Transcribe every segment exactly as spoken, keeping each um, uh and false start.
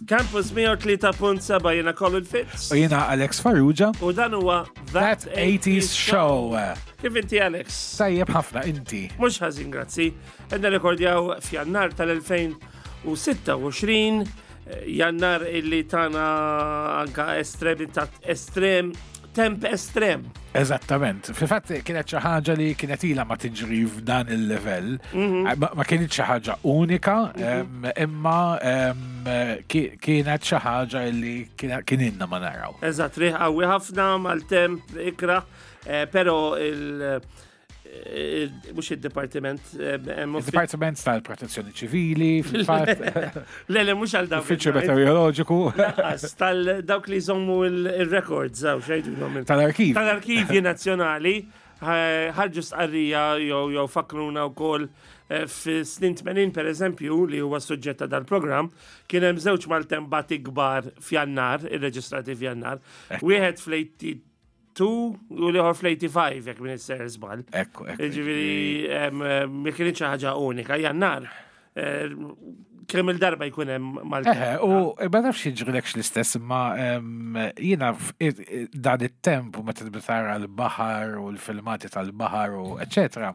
Campus mija u tlieta punt seba', jiena Colin Fitz. U jiena Alex Farrugia. U dan huwa That eighties Show. Kif inti, Alex? Tajjeb ħafna, inti? Mhux ħażin, grazzi. Qed nirrekordjaw f'Jannar tal-elfejn u sitta u għoxrin, Jannar illi tana anka estrem, ta' estrem, temp estrem. Eżattament. Fil-fatt kienet xi ħaġa li kienet ilha ma tiġri f'dan il-level. Ma ma kienet xi ħaġa unika, em, imma em, ki- kienet xi ħaġa li kien kien ilna ma naraw. Eżatt, riħ qawwi ħafna mal-temp ikra, eh, pero il- il- mhux il-departiment, eh, hemm uffi- Il-Dipartiment tal-Protezzjoni Ċivili, fil-fatt, Le, le, mhux għal dawk. Uffiċċju Meteoroloġiku. Lanqas, tal dawk li jżommu il-records, għaw, x'jgħidulhom? Tal-arkiv. Tal-arkivji nazzjonali, ħarġu stqarrija jew jew fakruna wkoll eh, fi snin tmenin, per eżempju, li huwa suġġett ta' dal-programm, kien hemm żewġ maltembati kbar f'Jannar, irreġistrati f'Jannar. Wieħed fl-tmeninta u tnejn u l-ieħor fl-tmienja u ħamsa, jekk m'iniex sejjer żball. Ekku, ekku. Ġifieri, em, em, ma kienx xi ħaġa unika, Jannar. eh, Kemm il-darba jkun hemm maltemp. Eħe, u ma nafx jiġrilekx l-istess, imma em, jiena f- i- i- dan it-temp u meta tibda tara l-baħar u l-filmati tal-baħar u eccetera.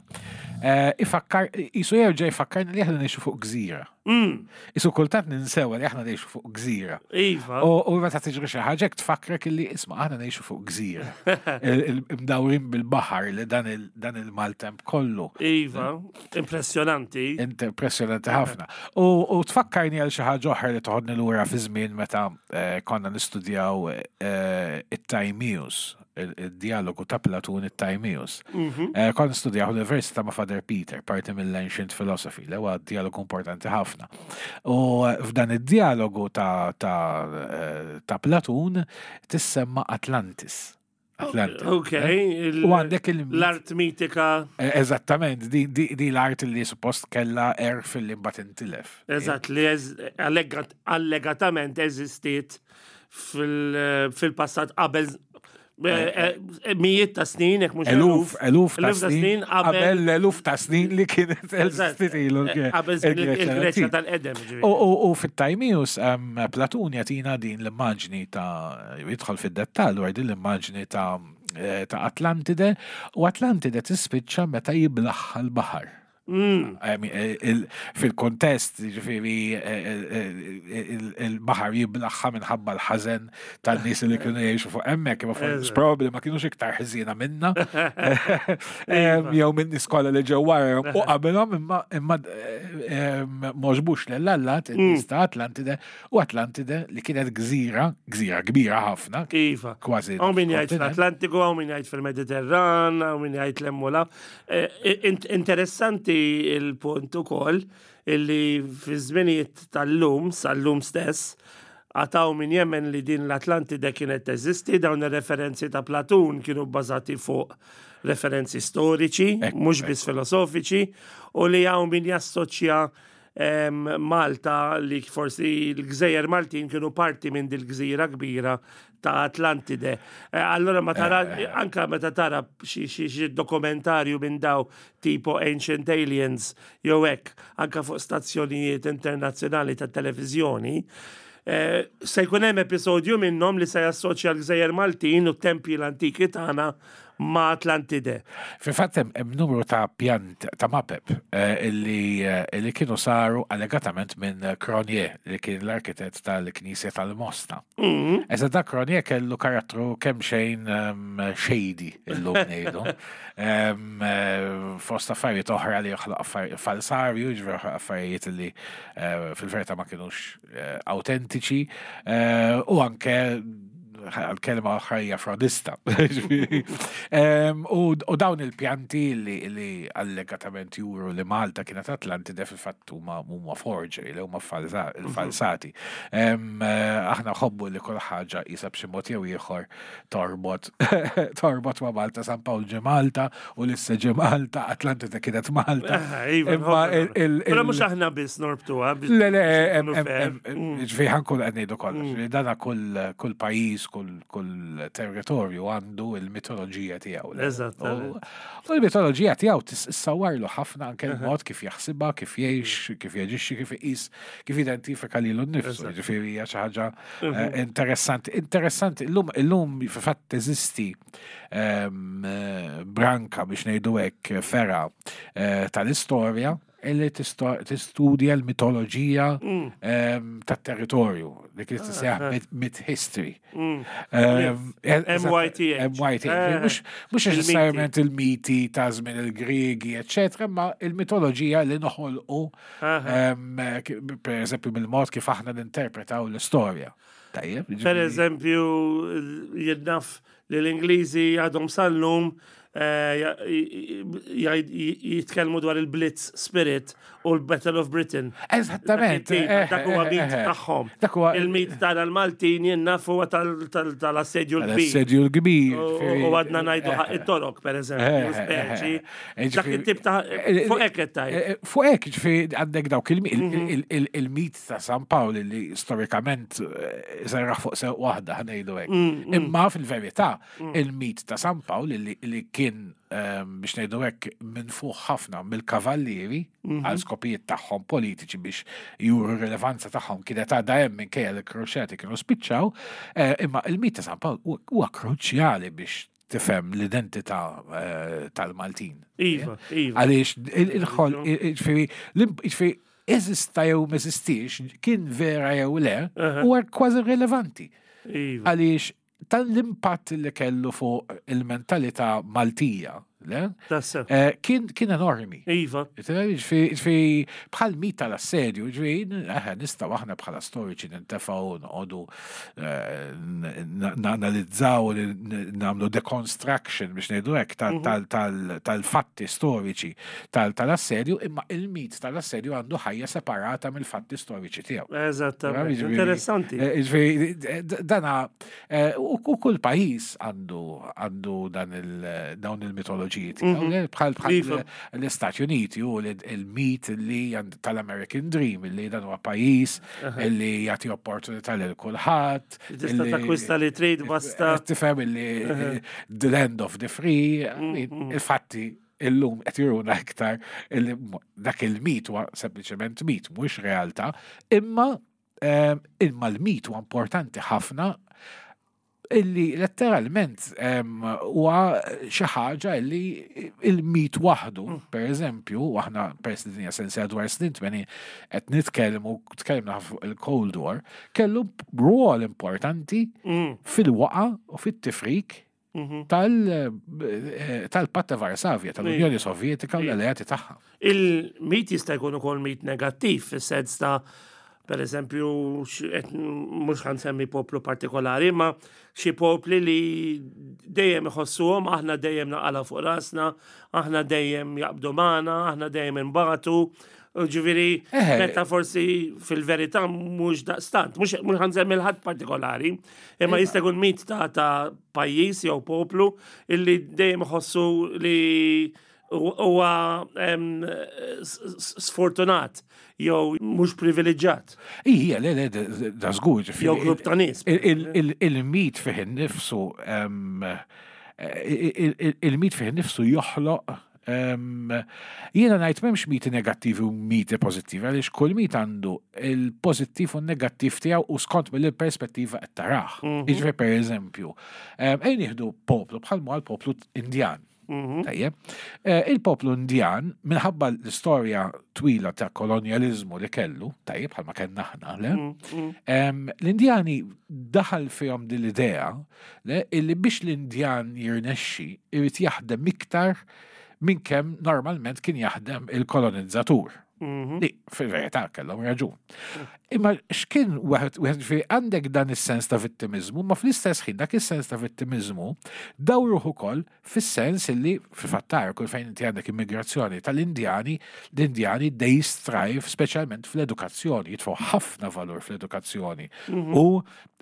eh, Ifakkar, jisu jerġa' jfakkarni li aħna ngħixu fuq gżira. Mm, Isu kultant ninsewa li aħna ngħixu fuq gżira. Iva. U u meta tiġri xi ħaġa hekk tfakkrek illi isma', aħna ngħixu fuq gżira. Il- il- Imdawrin bil-baħar li dan il- dan il-maltemp kollu. Iva, impressjonanti. Impressjonanti ħafna. U, u tfakkarni għal xi ħaġa oħra li toħodni lura fi żmien meta eh, konna nistudjaw eh, it-Timaeus, il-dialogu ta' Platun, it-Timaeus. Eh, Konna nistudjaw l-Università ma' Father Peter, parti mill-Ancient Philosophy, li huwa dialogu importanti ħafna. U eh, f'dan id-dialogu ta', ta, eh, ta' Platun tissemma Atlantis. Atlantis. Ok. il- U għandek il- L-art mitika. Eh, Eżattament, di, di, di l-art li suppost kella erf li mbagħad intilef. Eżatt, li eż- allegat- allegatament eżistiet fil- fil-passat qabel eh, eh, mijiet ta' snin, jekk mhux Eluf, eluf ta' eluf ta' snin, qabel qabel l-eluf ta' snin li kienet Eżatt, eżistiet ilu eh, qabel żmien il-Greċja tal-qedem. Ġifieri. U, u, u fit-Timaeus um, Platun jagħtina din l-immaġni ta' jidħol fid-dettall dwar din l-immaġni ta' eh, ta' Atlantide, u Atlantide tispiċċa meta jiblaħħa l-baħar. Mm, I mean, eh, il- Fil-kontest, ġifieri, eh, eh, il- il-baħar jiblaħħa minħabba l-ħazen tan-nies li kienu jgħixu fuq hemmhekk, imma forsi probably ma kienux iktar ħżiena minna. Em, Jew minn nies kollha li ġew wara u qabilhom, imma imma m'għoġbux lill-allat in-nies ta' Atlantide, u Atlantide li kienet gżira, gżira kbira ħafna, Iva. kważi Hawn min jgħid kontinent. fl-Atlantiku, hawn min jgħid fil-Mediterran, hawn min jgħid l-emmula. Interessanti il-punt ukoll illi fi żminijiet tal-lum, sal-lum stess, għad hawn min jemmen li din l-Atlantide kienet teżisti. Dawn ir-referenzi ta' Platun kienu bbażati fuq referenzi storiċi, Ekku, mhux biss filosofiċi, u li hawn min jassoċja em, Malta, li forsi l-gżejjer Maltin kienu parti minn dil-gżira kbira ta' Atlantide. Eh, Allora ma tara, anka meta tara xi xi xi dokumentarju minn daw tipo Ancient Aliens jew hekk, anka fuq stazzjonijiet internazzjonali ta' televiżjoni, eh, se jkun hemm episodju minnhom li se jassoċja l-gżejjer Maltin u t-tempji l-antiki tagħna ma' Atlantide. Fil-fatt hemm hemm numru ta' pjant ta' mapep eh, illi eh, illi kienu saru allegatament minn Cronier, li kien l-arkitett tal-Knisja tal-Mosta. Mm. Eżatt, da Cronier kellu karattru kemm xejn um, shady, illum ngħidu. Um, eh, Fost affarijiet oħra li joħloq affarijiet falsarju, ġifieri joħloq affarijiet li eh, fil-verità ma kienux eh, autentiċi, eh, u anke Għal-kelma ħajja frodista. Ġifieri, em, U u dawn il-pjanti li, li allegatament juru li Malta kienet Atlantide, fil-fatt huma huma forgery, li huma falsa- falsati. Em, eh, Aħna nħobbu li kull ħaġa jisa b'xi mod jew ieħor torbot torbot ma' Malta. San Pawl ġie Malta u l-issa ġie Malta, Atlantide kienet Malta. Eh, iva, Imma il- il- Però il- mhux aħna biss norbtuha biex Le, le, em, nkunu em, fair. em, ġifieri ħa nkun qed ngħidu kollox. Dana kull kull pajjiż, kull kull territorju għandu il-mitoloġija tiegħu. Le? Eżattament. U u l-mitoloġija tiegħu tissawwarlu ħafna anke l-mod kif jaħsibha, kif jgħix, kif jaġixxi, kif iqis, kif identifika lilu nnifsu. Ġifieri hija xi ħaġa eh, interessanti. Interessanti, illum illum fil-fatt teżisti em, eh, branka, biex ngħidu hekk, fergħa eh, tal-istorja illi tisto- tistudja l-mitoloġija em, tat-territorju, li kien tissejjaħ myth- myth history. Em, M Y T H. M Y T H. Eh, Mhux mhux il-miti. neċessarjament il-miti ta' żmien il-Griegi, eccetera, ma il-mitoloġija li noħolqu em, ki- per eżempju mill-mod kif aħna ninterpretaw l-istorja. Tajjeb, Per ġifieri- eżempju, jien naf li l-Ingliżi għadhom sal-lum eh, ja- ja- jitkellmu dwar il-Blitz Spirit u l-Battle of Britain. Eżattament. Dak it-tip, eh, dak huwa eh, mit eh, tagħhom. Dak huwa Il-mit tal-Maltin jien naf huwa tal- tal- tal-assedju l-kbir. L-assedju l-kbir. U ġifieri- u għadna ngħidu ħaq it-Torok, per eżempju, Eh, speċi. eh, eh, Dak ġifieri- it-tip ta' eh, fuq hekk qed tgħid. Eh, Fuq hekk, ġifieri għandek dawk il- il- il- il- il-mit ta' San Pawl li storikament eh, serraħ fuq sew waħda, ħa ngħidu hekk. Imma fil-verità il-mit ta' San Pawl li li kien ehm, biex ngħidu hekk minn fuq ħafna mill-kavallieri għal skopijiet tagħhom politiċi biex juru rilevanza tagħhom kienet għadha hemm minkejja li kruċjati kienu spiċċaw, eh, imma il-mit ta' San Pawl huwa- huwa kruċjali biex tifhem l-identità eh, tal-Maltin. Iva, iva. Għaliex il-ħol, ġifieri, ġifieri, eżista jew m'eżistix, kien vera jew le, huwa kważi irrelevanti. Iva. Għaliex tal-impatt li kellu fuq il-mentalità Maltija, le? Tassew. Eh, Kien kien enormi. Iva. Ġifieri, ġifieri, bħal mit tal-assedju, ġifieri, eh, nistgħu aħna bħala storiċi nintefgħu noqogħdu eh, n- nanalizzaw, n- nagħmlu deconstruction, biex ngħidu hekk, tal- tal- tal- tal-fatti storiċi tal- tal-assedju, imma il-mit tal-assedju għandu ħajja separata mill-fatti storiċi tiegħu. Eżattament. Ġifieri, Interessanti. eh, Ġifieri, d- dana, eh, u u kull pajjiż għandu għandu dan il- dawn il-mitoloġiji tiegħu, le? Bħal bħal Iva. l-Istati Uniti u l- il-mit li għand- tal-American Dream, li dan huwa pajjiż li jagħti opportunità lil kulħadd. Tista' illi- takkwista li trid basta. Tifhem illi the land of the free, il-fatti illum qed juruna iktar illi mo- dak il-mit huwa sempliċement mit, mhux realtà, imma em, imma l-mit huwa importanti ħafna illi letteralment em, huwa xi ħaġa illi il-mit waħdu, per eżempju, u aħna peress li dinja sensi dwar snin tmenin qed nitkellmu, tkellimna fuq il-Cold War, kellu rwol importanti Mm, fil-waqa u fit-tifrik mhm. tal- eh, tal-Patt ta' Varsavja, tal-Unjoni Sovjetika u l-alleati tagħha. Il-mit jista' jkun ukoll mit negattiv, fis-sens ta' per eżempju, x- qed- mhux ħa nsemmi poplu partikolari, ma xi popli li dejjem iħossuhom aħna dejjem naqala fuq rasna, aħna dejjem jaqbdu magħna, aħna dejjem inbatu. Ġifieri, Eh. meta forsi fil-verità mhux daqstant, mhux mhux ħa nsemmi l-ħadd partikolari, imma jista' jkun mit ta' ta' pajjiż jew poplu illi dejjem iħossu li huwa em, s- s- sfortunat jew mhux privileġġjat Ija, le, le, da- da żgur, ġifieri. jew grupp ta' nies. Il- il- il- Il-mit fih innifsu, em, eh, il- il- il-mit fih innifsu joħloq em, jiena ngħid m'hemmx miti negattivi u miti pożittivi, għaliex kull mit għandu il-pożittiv u n-negattiv tiegħu u skont mill-perspettiva qed tarah. Jiġifieri, per eżempju, em, ejn nieħdu poplu bħal l-poplu Indjan. Tajjeb. Eh, Il-poplu Indjan, minħabba l-istorja twila ta' kolonjalizmu li kellu, tajjeb, bħalma kellna aħna, le? Em, L-Indjani daħal fihom din l-idea le, illi biex l-Indjan jirnexxi irid jaħdem iktar minn kemm normalment kien jaħdem il-kolonizzatur. Li fil-verità kellhom raġun. Imma x'kien wieħed wieħed ġifieri għandek dan is-sens ta' vittimizmu, ma fl-istess ħin dak is-sens ta' vittimizmu dawruh ukoll fis-sens illi fil-fattar kull fejn inti għandek immigrazzjoni tal-Indjani, l-Indjani they strive speċjalment fl-edukazzjoni, jitfgħu ħafna valur fl-edukazzjoni u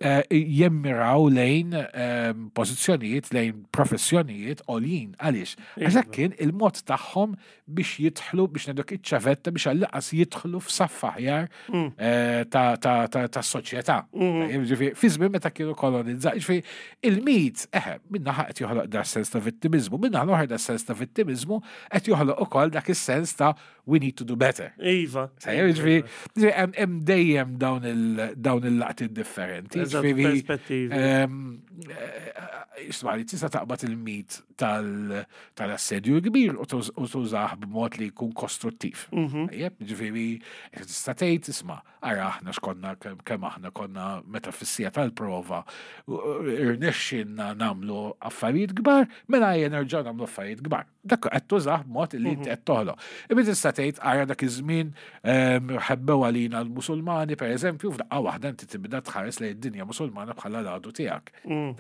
eh, jemmiraw lejn eh, pożizzjonijiet, lejn professjonijiet għoljin. Għaliex? Għax dak kien il-mod tagħhom biex jidħlu, biex ngħiduk iċ-ċavetta biex għall-inqas jidħlu f'saff aħjar eh, ta' ta' ta' ta' soċjetà. Ġifieri, fi żmien meta kienu kolonizzati, ġifieri, il-mit, eħe, min-naħa qed joħloq da sens ta' vittimizmu, min-naħa l-oħra da sens ta' vittimizmu qed joħloq ukoll dak is-sens ta' we need to do better. Iva. Sejjer, ġifieri, ġifieri, hemm hemm dejjem dawn il- dawn il-laqtiet differenti. Eżatt, Ġifieri, perspettivi. ehm, eh, Isma' li tista' taqbad il-mit tal- tal-assedju l-kbir u tuż- u tużah b'mod li jkun kostruttiv. Tajjeb, ġifieri, tista' tgħid isma' ara aħna x'konna kemm kemm aħna konna meta fis-siegħa tal-prova u- irnexxinna nagħmlu affarijiet kbar, mela ejja nerġgħu nagħmlu affarijiet kbar. Dak qed tużah b'mod li inti qed toħloq. Imma tista' tgħid ara dak iż-żmien ehm, ħebbew għalina l-Musulmani, pereżempju, f'daqqa waħda inti tibda tħares lejn id-dinja Musulmana bħala l-għadu tiegħek.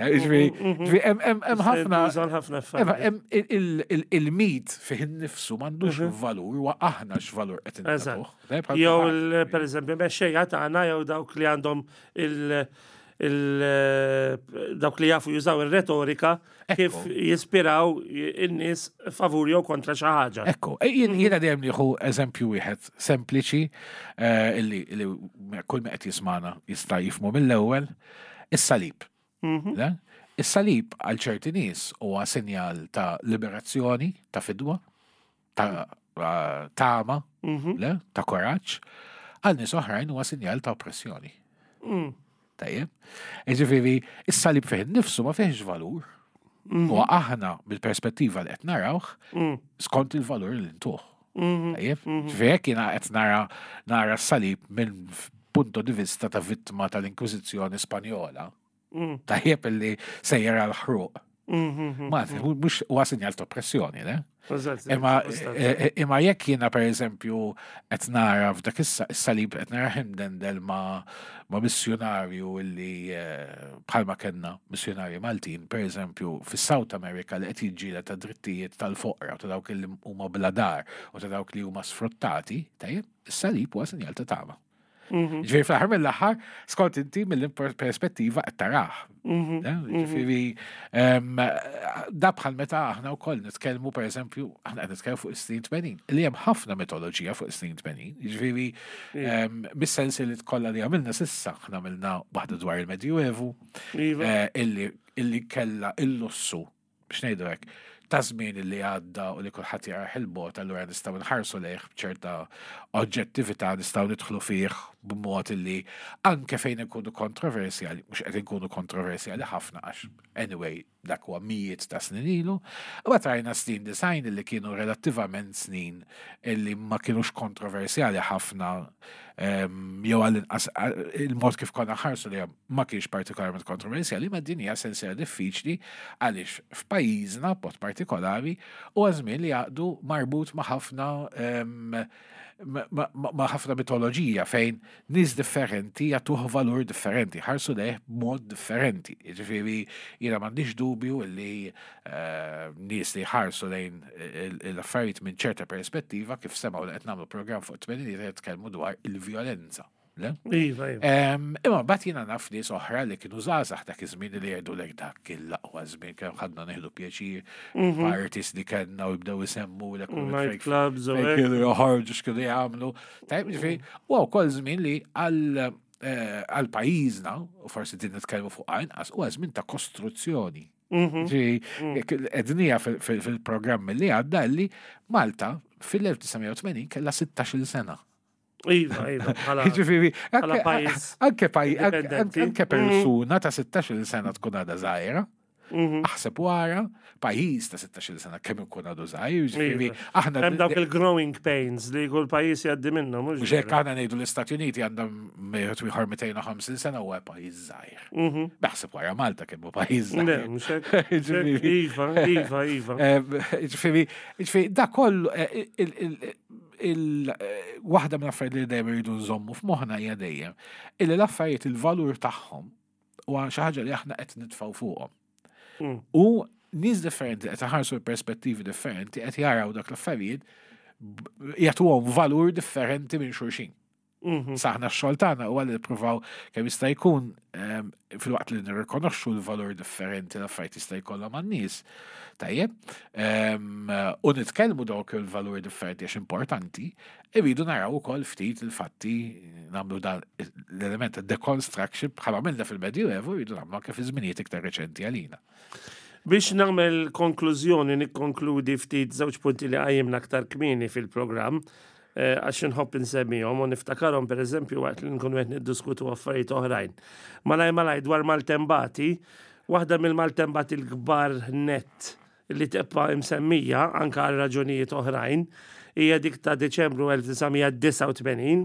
Ġifieri, ġifieri, hemm hemm hemm ħafna Tuża ħafna Eva, affarijiet. hemm il- il- il- il-mit fih innifsu m'għandux valur, huwa aħna x'valur qed Eżatt. intuh. Jew, il- per eżempju, mexxejja tagħna jew dawk li għandhom il- il dawk li jafu jużaw ir-retorika kif jispiraw in-nies favur jew kontra xi ħaġa. Ekku, e, jien jiena dejjem nieħu eżempju wieħed sempliċi eh, illi illi kull ma qed jismana jista' jifhmu mill-ewwel, is-salib. Le? Is-salib għal ċerti nies huwa sinjal ta' liberazzjoni, ta' fidwa, ta' eh, tama, le? Ta' koraġġ, għal nies oħrajn huwa sinjal ta' oppressjoni. Tajjeb. Ġifieri, is-salib fih innifsu ma fihx valur. U aħna mill-perspettiva li qed narawh skont il-valur li ntuh. Tajjeb. Ġifieri jekk jiena qed nara nara s-salib minn punto di vista ta' vittma tal-Inkwiżizzjoni Spanjola. Tajjeb illi sejjer għal ħruq. Ma mhux huwa sinjal ta' oppressjoni, le? Eżatt, Imma eżatt. e- e- imma jekk jiena pereżempju qed nara f'dak is- is-salib qed nara imdendel ma' ma' missjonarju illi eh, bħalma kellna missjonarji Maltin, pereżempju fis-South America li qed jiġġieled ta' drittijiet tal-foqra u ta' dawk li huma bla dar u ta' dawk li huma sfruttati, tajjeb, is-salib huwa sinjal ta' tama. Ġifieri fl-aħħar mill-aħħar, skont inti mill-perspettiva qed tarah. Eh, Ġifieri, em, da bħal meta aħna wkoll nitkellmu pereżempju, aħna qed nitkellmu fuq is-snin tmenin, li hemm ħafna mitoloġija fuq is-snin tmenin. Ġifieri, em, mis-sens li tkollha li għamilna s'issa, aħna għamilna waħda dwar il-Medjuevu, Iva. eh, illi illi kella il-lussu, biex ngħidu hekk, ta' żmien illi għadda u li kulħadd jarah il-bogħod, allura nistgħu nħarsu lejh b'ċerta oġġettività, nistgħu nidħlu fih b'mod illi anke fejn ikunu kontroversjali, mhux qed inkunu kontroversjali ħafna għax anyway dak huwa mijiet ta' snin ilu, u rajna snin disgħin illi kienu relattivament snin illi ma kienux kontroversjali ħafna em, jew għall-inqas il-mod kif konna ħarsu li ma kienx partikolarment kontroversjali, ma din hija sensiela diffiċli għaliex f'pajjiżna b'mod partikolari huwa żmien li għadu marbut ma' ħafna em, ma- ma ma ħafna mitoloġija fejn nies differenti jagħtuh valur differenti, ħarsu lejh b'mod differenti. Ġifieri jiena m'għandix dubju li eh, nies li ħarsu lejn il- l-affarijiet minn ċerta perspettiva kif semgħu li qed nagħmlu programm fuq tmeninijiet qed jitkellmu dwar il-vjolenza. Le? Iva, iva. Em, Imma mbagħad jiena naf nies oħra li kienu żgħażagħ dak iż-żmien li jgħidu lek dak kien l-aqwa żmien kemm ħadna nieħdu pjaċir, parties li kellna u jibdew isemmu lek Night clubs u fejn hekk. kienu joħorġu x'kienu jagħmlu. Tajjeb, ġifieri, huwa wkoll żmien li għal eh, għal pajjiżna, u forsi din nitkellmu fuq inqas, huwa żmien ta' kostruzzjoni. Ġifieri, għednieha fil-programm li għadda li Malta fil-elf disa' mija u tmenin kellha sittax-il sena. Iva, iva, bħala. Ġifieri, bħala anke- pajjiż anke paj- anke- indipendenti. anke persuna ta' sittax-il sena tkun għadha żgħira. Aħseb wara, pajjiż ta' sittax-il sena kemm ikun għadu żgħir, ġifieri, Iva. aħna Hemm dawk il-growing pains li kull pajjiż jgħaddi minnhom, mhux Mhux hekk vera? aħna ngħidu l-Istati Uniti għandhom wieħed ieħor mitejn u ħamsin sena huwa pajjiż żgħir. Naħseb wara Malta kemm hu pajjiż Le, żgħir. mhux hekk. Mhux hekk. Ġifieri- Iva, iva, iva. Em, Ġifieri, ġifieri, da kollu eh, il- il- il- eh, waħda minn affarijiet li dejjem irridu nżommu f'moħħna hija dejjem illi l-affarijiet il-valur tagħhom huwa xi ħaġa li aħna qed nitfgħu fuqhom. Mm. U nies differenti qed iħarsu perspettivi differenti qed jaraw dak l-affarijiet b- jagħtuhom valur differenti minn xulxin. Mhm. Aħna x-xogħol tagħna huwa li nippruvaw kemm jista' jkun em, filwaqt li nirrikonoxxu l-valur differenti l-affarijiet jista' jkollhom għan-nies. Tajjeb, em, u nitkellmu dawk il-valur differenti għax importanti, irridu naraw ukoll ftit il-fatti nagħmlu dan l-element ta' deconstruction bħala għamilna fil-Medjuevu, irridu nagħmlu anke fi żminijiet iktar reċenti għalina. Biex nagħmel konklużjoni, nikkonkludi ftit żewġ punti li qajjimna aktar kmieni fil-programm, eh, għax nħobb insemmihom u niftakarhom pereżempju waqt li nkunu qed niddiskutu affarijiet oħrajn. Malaj malaj dwar maltembati, waħda mill-maltembati l-kbar net li tibqa' imsemmija anka għal raġunijiet oħrajn hija dik ta' Deċembru elf disa' mija disgħa u tmenin,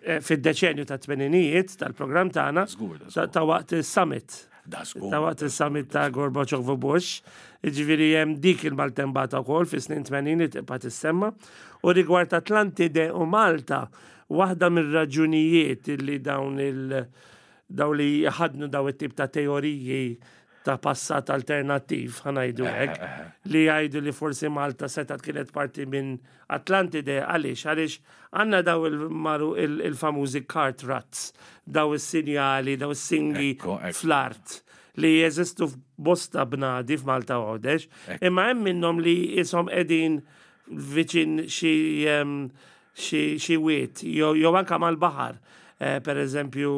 eh, fid-deċenju ta' tmeninijiet tal-programm tagħna Żgur, da ta' żgur. ta' waqt is-summit Da żgur. ta' waqt il-summit ta' Gorbachev u Bush, ġifieri hemm dik il-maltembata wkoll fi snin tmenin li tibqa' tissemma. U rigward Atlantide u Malta, waħda mir-raġunijiet li dawn il- daw li ħadnu daw it-tip ta' teoriji ta' passat alternattiv, ħa ngħidu hekk, li jgħidu li forsi Malta setat kienet parti minn Atlantide, għaliex, għaliex għandna daw il-maru il- il-famużi cart ruts, daw is-sinjali, daw is-singi Ekku, ekku. fl-art li jeżistu f'bosta bnadi f'Malta u Għawdex, imma hemm minnhom li jisom qegħdin viċin xi em, xi xi wiet, jew jew anka mal-baħar. Eh, per eżempju,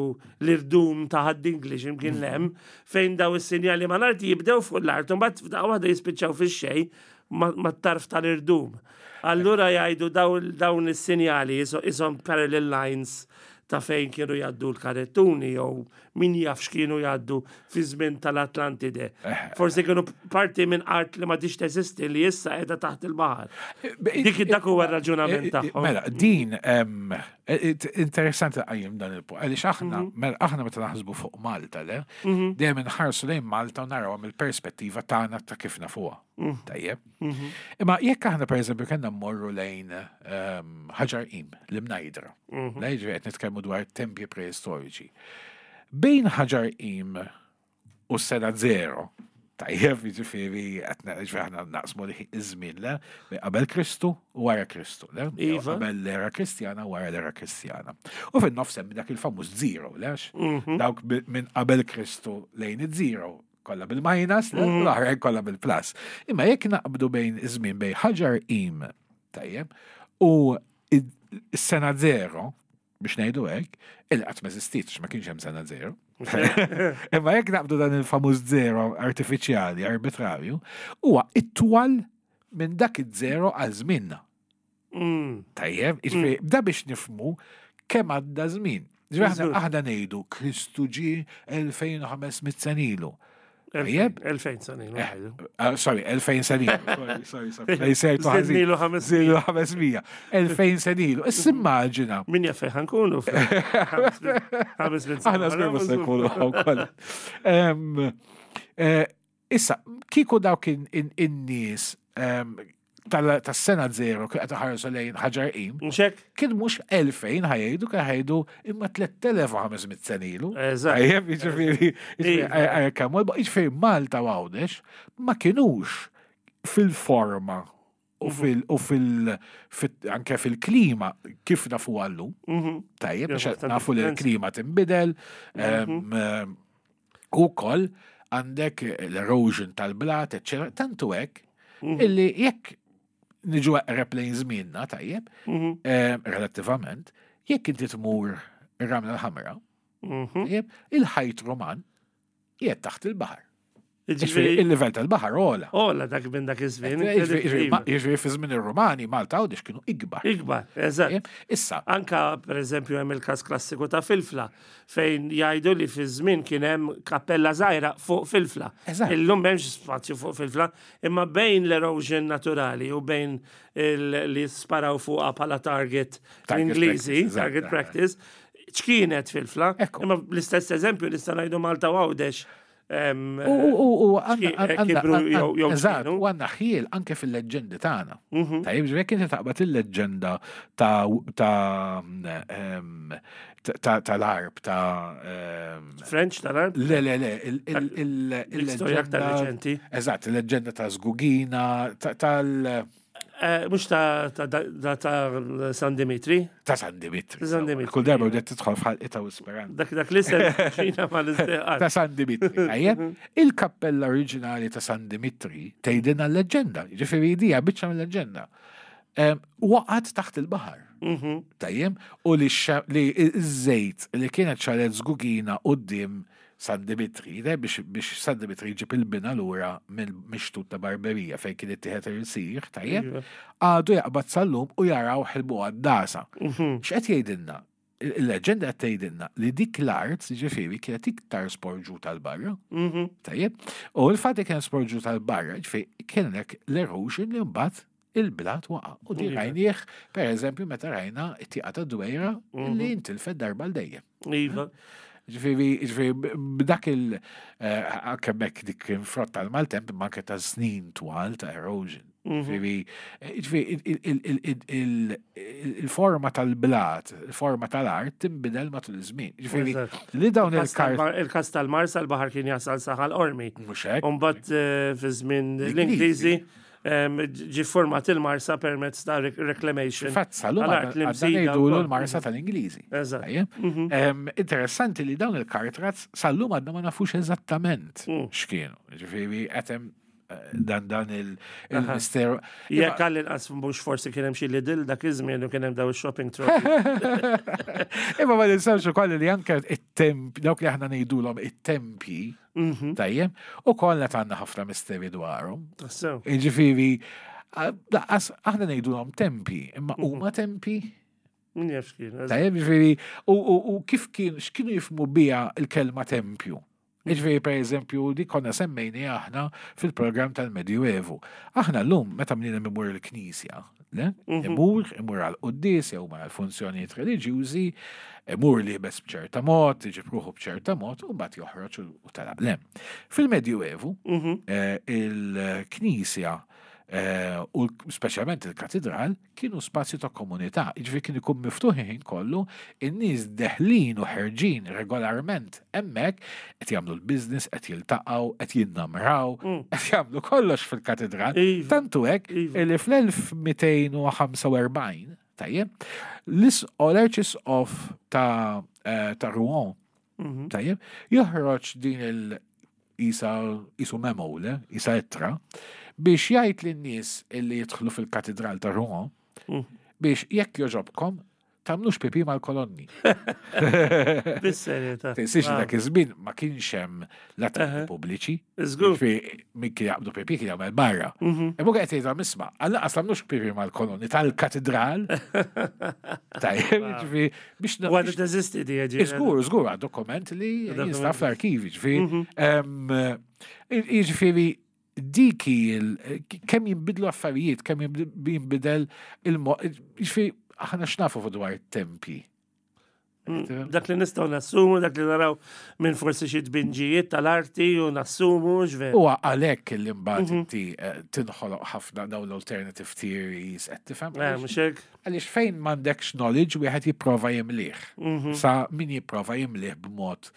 l-irdum ta' Ħad-Dingli x'imkien lem, fejn daw is-sinjali mal-art jibdew fuq l-art, u mbagħad f'daqqa waħda jispiċċaw fix-xejn mat-tarf tal-irdum. Allura jgħidu daw- dawn is-sinjali jisom parallel lines ta' fejn kienu jgħaddu l-karettuni jew min jaf x'kienu jgħaddu fi żmien tal-Atlantide. Forsi kienu parti minn art li ma tix teżisti li issa qiegħda taħt il-baħar. Dik dak huwa r-raġunament tagħhom. Mela, din em, it- interessanti qajjim dan il-punt. Għaliex aħna, mela, aħna meta naħsbu fuq Malta, le, dejjem inħarsu lejn Malta u naraw mill-perspettiva tagħna ta' kif nafuha. Tajjeb. Imma jekk aħna pereżempju kellna mmorru lejn em, Ħaġar Qim, l-Imnajdra. Le, ġifieri qed nitkellmu dwar tempji preistoriċi. Bejn Ħaġar Qim u s-sena zero, tajjeb, jiġifieri qed ġifieri aħna naqsmu li iż-żmien, le, bejn qabel Kristu u wara Kristu, le? Jew Iva. qabel l-era Kristjana u wara l-era Kristjana. U fin-nofs hemm dak il-famuż zero, le? Għax dawk bi- minn qabel Kristu lejn iż-zero kollha bil-minus, le? L-oħrajn kollha bil-plus. Imma jekk naqbdu bejn iż-żmien bejn Ħaġar Qim, tajjeb, u is-sena zero, biex ngħidu hekk, il qatt ma eżistiet, ma kienx hemm sena zero. Imma jekk naqbdu dan il-famuż zero artifiċjali, arbitrarju, huwa itwal minn dak iż-zero għal żmienna. Mm. Tajjeb, jiġifieri, da biex nifhmu kemm għadda żmien. Ġifieri aħna Żgur. aħna ngħidu Kristu ġie elfejn u ħames mitt sena ilu. Tajjeb? elfejn sena ilu ngħidu. Uh, sorry, elfejn sena ilu. Sorry, sorry, sorry. Sejtu ħażin. Żidnilu ħames Żidnilu ħames mija. elfejn sena ilu. Issa immaġina. Min jaf fejn ħa nkunu? Ħames mitt sena. Aħna żgur mhux se nkunu hawn kollha. Em, eh, Issa, kieku dawk in- in- in-nies em, tal- tas-sena zero kien qed iħarsu lejn Ħaġar Qim, Mhux hekk? kien mhux elfejn ħa jgħidu, kien ħa jgħidu imma tliet elef u ħames mitt sena ilu. Eżatt. Tajjeb, jiġifieri, jiġifieri, Iva. eh, kemm hu, jiġifieri Malta u Għawdex ma kinux fil-forma u fil, u fil, fil- anke fil-klima kif nafu għallu. Mhm. Tajjeb, Ja, biex ħafna nafu li differenza. l-klima tinbidel, em, em, u koll għandek l-erosion tal-blat, eccetera, tantu hekk, illi jekk niġu eqreb lejn żmienna, tajjeb, Mhm. em, relattivament, jekk inti tmur ir-Ramla l-Ħamra, Mhm. tajjeb, il-ħajt Roman qiegħed taħt il-baħar. Ġifieri Ġifieri, il-livell tal-baħar ogħla. Ola dak minn dak iż-żmien. Jiġifieri- jiġifieri ma- Jiġifieri fi żmien ir-Romani Malta Għawdex kienu ikbar. Ikbar, eżatt. Tajjeb, Issa, Anka, per eżempju, hemm il-każ klassiku ta' Filfla, fejn jgħidu li fi żmien kien hemm kappella żgħira fuq Filfla. Eżatt. Illum m'hemmx spazju fuq Filfla, imma bejn l-erosion naturali u bejn il- li sparaw fuqha bħala target Target l-Ingliżi, practice, eżatt, target eh. practice, x'kienet Filfla, Ekku. imma l-istess eżempju nista' ngħidu Malta u Għawdex. em, U u u u xki- għanna kibru jew- jew Eżatt, x'kienu. u għandna ħjiel anke fil-leġġendi tagħna. Mhm. Tajjeb, ġifieri jekk inti taqbad il-leġġenda ta' ta' em, ta' tal-Għarb ta' em, French tal-Għarb? Le, le, le, il- il- il- L-istorja aktar il-leġġenda. reċenti. Eżatt, il-leġġenda ta' Żgugina, ta- tal. Eh, Mhux ta' ta' ta' ta' San Dimitri. Ta' San Dimitri. San Dimitri. Kull darba bdiet tidħol f'ħalqita u speranza. Dak dak li sem ċina ma l-isteqat. Ta' San Dimitri. Tajjeb, il-kappella oriġinali ta' San Dimitri tgħidilna l-leġġenda, ġifieri dija biċċa mill-leġġenda. Em, Waqgħet taħt il-baħar. Mhm. Tajjeb, u li x- li iż-żejt li kienet xagħlet Żgugina quddiem San Dimitri, de, biex, biex San Dimitri jġib il-bina lura mill-mixtut ta' Barberija fejn kien ittieħed il-sir, tajjeb, Iva. għadu jaqbad sal-lum u jaraw ħilbu għaddasa. Mhm. X'qed jgħidilna? Il-leġenda qed tgħidilna li dik l-art, ġifieri, kienet iktar sporġuta 'l barra, Mhm. tajjeb, u l-fatt li kienet sporġuta 'l barra, ġifieri kienek l-erosion li mbagħad il-blat waqa'. U di Iva. rajnieh, per eżempju, meta rajna it-tieqa ta' Dwejra li intilfet darba 'l dejjem. Iva. Ġifieri, ġifieri, b'dak il- eh, anke mek dik kien frott tal-maltemp, imma anke ta' snin twal ta' erosion. Mhm. Ġifieri, ġifieri, il- il- il- il- il- il-forma tal-blat, il-forma tal-art tinbidel matul iż-żmien. Ġifieri, Eżatt. li dawn Il-kas il-kart. tal-Mar- Il-kas tal-Marsa l-baħar kien jasal sa Ħal Qormi. Mhux hekk. Umbat eh, fi żmien L-Ingliżi. l-Ingliżi em, ġi format il-Marsa permezz ta' rec- reclamation. Fatt sal-lum Tal-art li għadna msida ngħidulu wkoll. l-Marsa tal-Ingliżi. Eżatt. Tajjeb? Em, Interessanti li dawn il-cart ruts sal-lum għadna ma nafux eżattament Mm. x'kienu. Ġifieri, qed hemm eh, dan dan il- il-misteru. Jekk għall-inqas mhux forsi kien hemm xi Lidl dak iż-żmien u kien hemm daw il-shopping trolley. Imma ma ninsawx ukoll li anke it-temp, dawk li aħna ngħidulhom it-tempji, Mhm. tajjeb, u kollha għandna ħafna misteri dwarhom. Tassew. Ġifieri, lanqas aħna ngħidulhom tempi, imma huma tempi? Min jaf x'kien. eżatt. Tajjeb, ġifieri, u, u, u kif kien, x'kienu jifhmu biha il-kelma tempju? Ġifieri, per eżempju, di konna semmejni aħna fil-program tal-Medjuevu. Aħna l-lum, meta mnina imur il-knisja, le? Imur, imur għal-quddies, jew għal funzjonijiet reliġjużi, imur liebes b'ċerta mod, iġib ruħu b'ċerta mod, u mbagħad joħroġ u u telaq. Le. Fil-Medjuevu, Mhm. eh, il-knisja eh, u l- speċjalment il-katedral kienu spazju ta' komunità, ġifieri kien ikun miftuħ ħin kollu, in-nies deħlin u ħerġin regolarment hemmhekk qed jagħmlu l-business, qed jiltaqgħu, qed jinnamraw, qed jagħmlu kollox fil-katedral. Iva. Tantu hekk Iva. li fl-elf mitejn u ħamsa u erbgħin, tajjeb, l-Arċisqof ta' eh, ta' Rouen, Mhm. tajjeb, joħroġ din il- isa isu memo, le, isa ittra, biex jgħid lin-nies illi jidħlu fil-katedral ta' Rouen, Mm. biex jekk joġobkom, tagħmlux pipi mal-kolonni. Bis-serjetà. Tinsiex li Ah, dak iż-żmien ma kienx hemm latrini pubbliċi. Żgur. Ġifieri min kien jaqbdu pipi kien jagħmel barra. Mhm. Imma qed jgħidhom isma' għall-anqas tagħmlux pipi mal-kolonni tal-katedral. Tajjeb, ġifieri biex U għadha teżisti di ġifieri. Żgur, żgur, għad dokument li Dokument. jinstab fl-arkivi, ġifieri. Em, Jiġifieri diki il- kemm jinbidlu affarijiet, kemm jinbidel il-mo. Ġifieri, aħna x'nafu fuq dwar it-tempi. Mm, Dak li nistgħu nassumu, dak li naraw minn forsi xi tbinġijiet tal-arti u nassumu ġver. U għalhekk li mbagħad inti eh, tinħoloq ħafna dawn l-alternative theories qed tifhem. Eh, mhux hekk? Għaliex fejn m'għandekx knowledge wieħed jipprova jimlih. Mhm. Sa min jipprova jimlih b'mod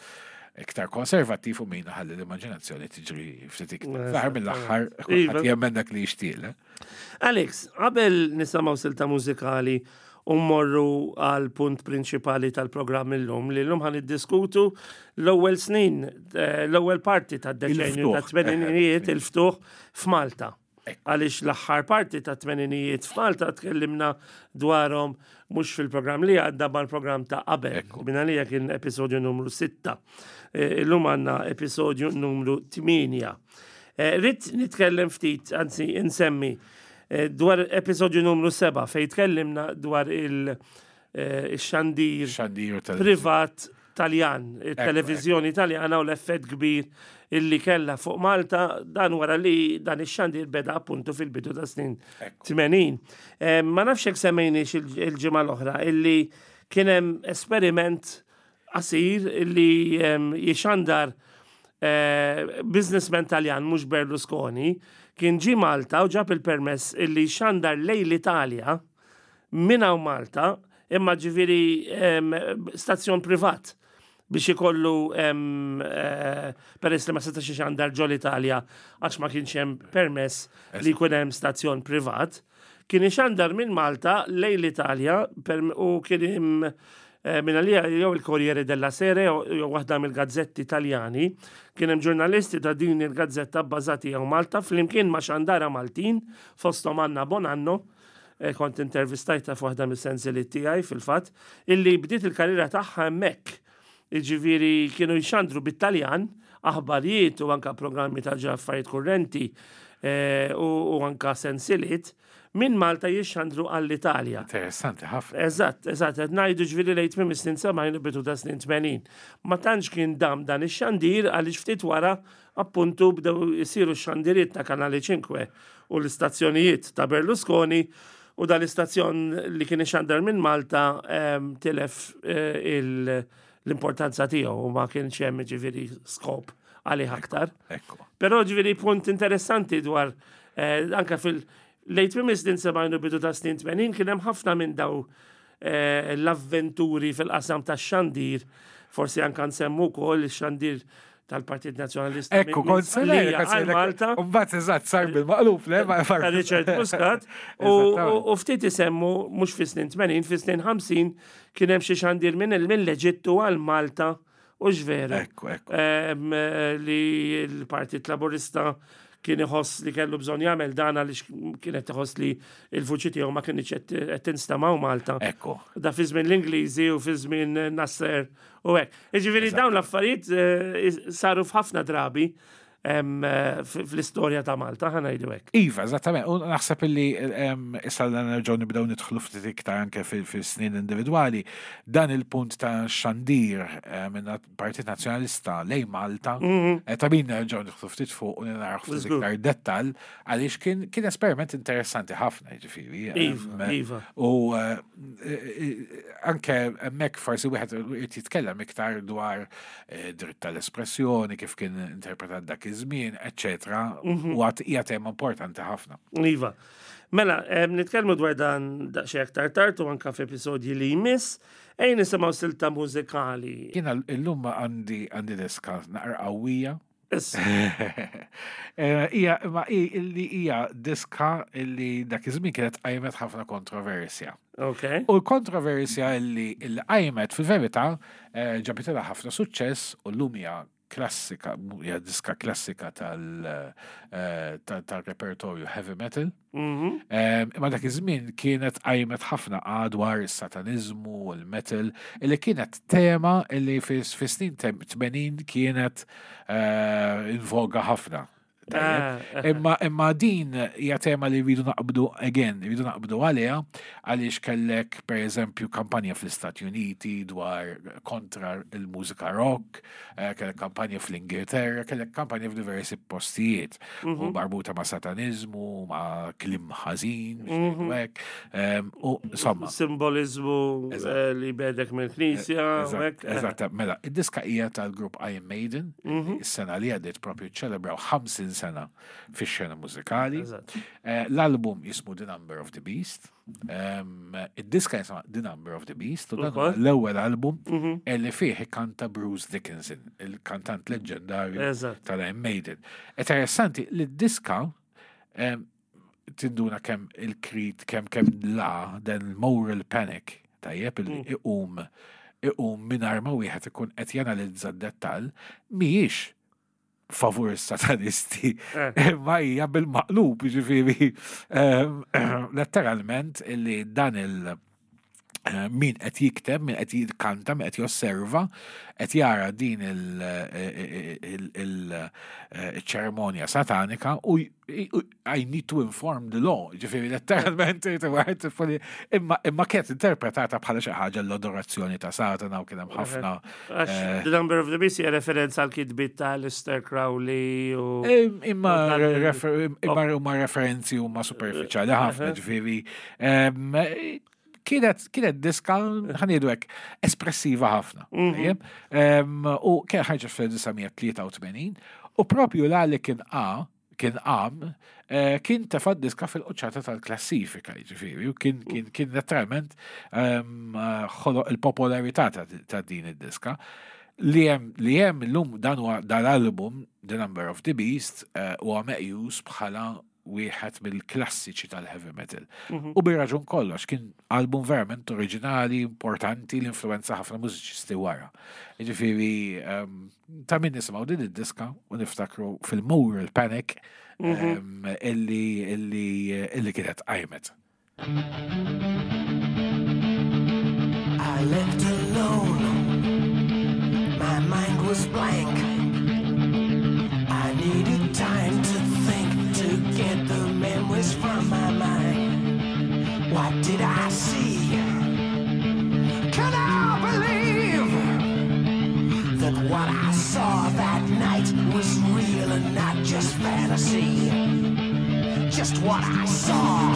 iktar konservattiv u min ħalli l-immaġinazzjoni tiġri ftit iktar. Fl-aħħar mill-aħħar Iva. kulħadd jemmen dak li jixtieq. le? Alex, qabel nisimgħu silta mużikali u mmorru għal punt prinċipali tal-programm illum li llum ħa niddiskutu l-ewwel snin, eh, l-ewwel parti tad-deċenju Il-ftuħ. ta' tmeninijiet il-ftuħ f'Malta. Għaliex l-aħħar parti ta' tmeninijiet f'Malta tkellimna dwarhom mhux fil-programm li għadda mal-programm ta' qabel. Min għalija kien episodju numru sitta. Eh, Illum għandna episodju numru tmienja. Eh, Ridt nitkellem ftit, anzi insemmi, eh, dwar episodju numru seba' fej tkellimna dwar il- eh, il-xandir Xandir tal privat Taljan, il-televizjoni Taljana u l-effett kbir illi kella fuq Malta dan wara li dan ix-xandir beda appuntu fil-bidu ta' snin tmenin. Eh, Ma nafx hekk semmejniex il- il-ġimgħa l-oħra illi kien hemm esperiment qasir illi em, jixandar eh, businessman Taljan, mhux Berlusconi, kien ġi Malta u ġab il-permess illi xandar lejn l-Italja minn hawn Malta, imma ġifieri em, stazzjon privat biex ikollu em, eh, peress li ma setax ixandar ġol Italja għax ma kienx hemm permess li jkun hemm stazzjon privat, kien ixandar minn Malta lejn l-Italja per- u kien hemm eh, minn għalija jew il Corriere della Sera jew jew waħda mill-gazzetti Italjani, kien hemm ġurnalisti ta' din il-gazzetta bbażati hawn Malta flimkien ma' xandara Maltin, fosthom Anna Bonanno, eh, kont intervistajta f'waħda mis-sensiliet tiegħi fil-fatt, illi bdiet il-karriera tagħha hemmhekk. Jiġifieri kienu jxandru bit-Taljan, aħbarijiet u anka programmi ta' affarijiet kurrenti eh, u, u anka sensiliet, minn Malta jixxandru għall-Italja. Interessanti ħafna. Eżatt, eżatt, qed ngħidu ġifieri lejn tmiem is-snin sebgħin, bidu ta' snin tmenin. Ma tantx kien dam dan ix-xandir għaliex ftit wara appuntu bdew isiru x-xandiriet ta' Kanali ċinke u l-istazzjonijiet ta' Berlusconi u dal-istazzjon li kien ixandar minn Malta em, tilef eh, il- l-importanza tiegħu u ma kienx hemm ġifieri skop għalih aktar. Ekku. Però ġifieri punt interessanti dwar eh, anka fil lejn tmiem is-snin sebgħin u bidu ta' snin tmenin kien hemm ħafna minn daw eh, l-avventuri fil-qasam tax-xandir, forsi anka nsemmu wkoll ix-xandir tal-Partit Nazzjonalista Ekku, minn- minn kont Sqallija għal Malta Mbagħad eżatt sar bil-maqlub, le? Ma ta' Richard Muscat u, u, Eżattament. u ftit isemmu mhux fi snin tmenin, fi snin ħamsin kien hemm xi xandir minn minn l-Eġittu għal Malta u x'veru. Ekku, ekku. Em, eh, li l-Partit Laburista kien iħoss li kellu bżonn jagħmel dan għaliex kienet iħoss li l-vuċi tiegħu ma kienx qed qed tinstema' Malta. Ekku. Da fi żmien l-Ingliżi u fi żmien Nasser u hekk. Jiġifieri dawn l-affarijiet eh, saru f'ħafna drabi em, eh, f- fl-istorja ta' Malta, ħa ngħidu hekk. Iva, eżattament. U naħseb illi em, issa li nerġgħu nibdew nidħlu ftit iktar anke fil-snin individwali, dan il-punt ta' xandir eh, minn Partit Nazzjonalista lejn Malta, eh, ta' min nerġgħu nidħlu ftit fuq u naraw ftit Żgur. iktar dettal għaliex kien kien esperiment interessanti ħafna, ġifieri. Iva, Em, iva. U eh, eh, anke hemmhekk forsi wieħed irid jitkellem iktar dwar eh, dritt tal-espressjoni, kif kien interpretat dak iż-żmien, eċċetera. U għad hija tema importanti ħafna. Iva. Mela, em, nitkellmu dwar dan daqsxejn aktar tard u anka f'episodji li jmiss, ejja nisimgħu silta mużikali. Jiena illum għandi għandi diska naqra qawwija. Issa, Eh, Hija ma hi illi hija diska illi dak iż-żmien kienet qajmet ħafna kontroversja. Ok. U l-kontroversja illi illi qajmet fil-verità eh, ġabitilha ħafna suċċess u llum hija klassika, hija diska klassika tal- eh, tal- tal-repertorju heavy metal. Mhm. Em, Imma dak iż-żmien kienet qajmet ħafna dwar is-satanizmu u l-metal, illi kienet tema illi fis fi snin tem- tmenin kienet eh, in voga ħafna. Tajjeb. Ah, Imma imma din hija tema li rridu naqbdu again, rridu naqbdu għaliha għaliex kellek per eżempju kampanja fl-Istati Uniti dwar kontra il-mużika rock, eh, kellek kampanja fl-Ingilterra, kellek kampanja f'diversi postijiet u marbuta ma' satanizmu, ma' kliem ħażin, biex ngħidu hekk, em, u insomma. Simbolizmu Eżatt. eh, li bedek mill-Knisja. u hekk. Eżatt, mela, id-diska hija tal-grupp Iron Maiden, is-sena li għaddiet propju ċelebraw ħamsin sena fix-xena mużikali. Eżatt. Eh, L-album jismu The Number of the Beast. Em, Id-diska jisma The Number of the Beast, u dan huwa Ukoll. l-ewwel album li fih kanta Bruce Dickinson, il-kantant leġendarju Eżatt. tal-Iron Maiden. Interessanti li d-diska em, tinduna kemm il-krit, kemm kemm la dan il-moral panic, tajjeb, il iqum iqum mingħajr ma wieħed ikun qed janalizza d-dettall, mhijiex favur is-satanisti, Eh. imma hija bil-maqlub, ġifieri em, letteralment illi dan il- eh, min qed jikteb, min qed jitkanta, min qed josserva, qed jara din il-ċerimonja satanika u j- u- I need to inform the law, ġifieri letteralment imma imma kienet interpretata bħala xi ħaġa l-adorazzjoni ta' Satana u kien hemm ħafna Għax eh, The Number of the Beast hija referenza għal kitbiet ta' Aleister Crowley u. Im- Imma U dan il- refer- imma huma referenzi huma superficiali ħafna, ġifieri. em, Kienet kienet diska, ħa ngħidu hekk, espressiva ħafna. Tajjeb? Em, U kien ħarġet fl-elf disa' mija tlieta u tmenin u propju la li kien A kien qam, eh, kien tefa diska fil-quċċata tal-klassifika, ġifieri, u kien kien kien letteralment em, eh, ħoloq il-popolarità ta' ta' din id-diska. Li hemm li hemm illum dan huwa dal-album The Number of the Beast eh, huwa meqjus bħala wieħed mill-klassiċi tal-heavy metal. U bir-raġun kollox, kien album verament oriġinali, importanti, li influenza ħafna mużiċisti wara. Ġifieri, um, ta' min nisimgħu din id-diska u niftakru fil-moral panic um, illi, illi, illi kienet qajmet. I left alone. My mind was blank. I needed time to think, to get the memories from my mind. What did I see? Can I believe that what I saw that night was real and not just fantasy? Just what I saw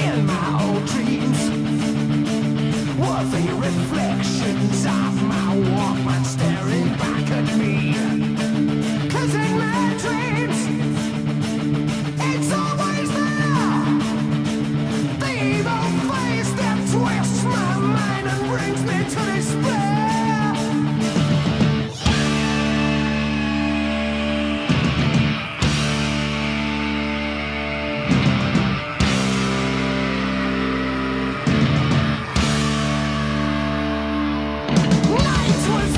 in my old dreams were the reflections of my Walkman staring back at me. 'Cause in my dreams, it's always there. The evil face that twists my mind and brings me to despair. Night was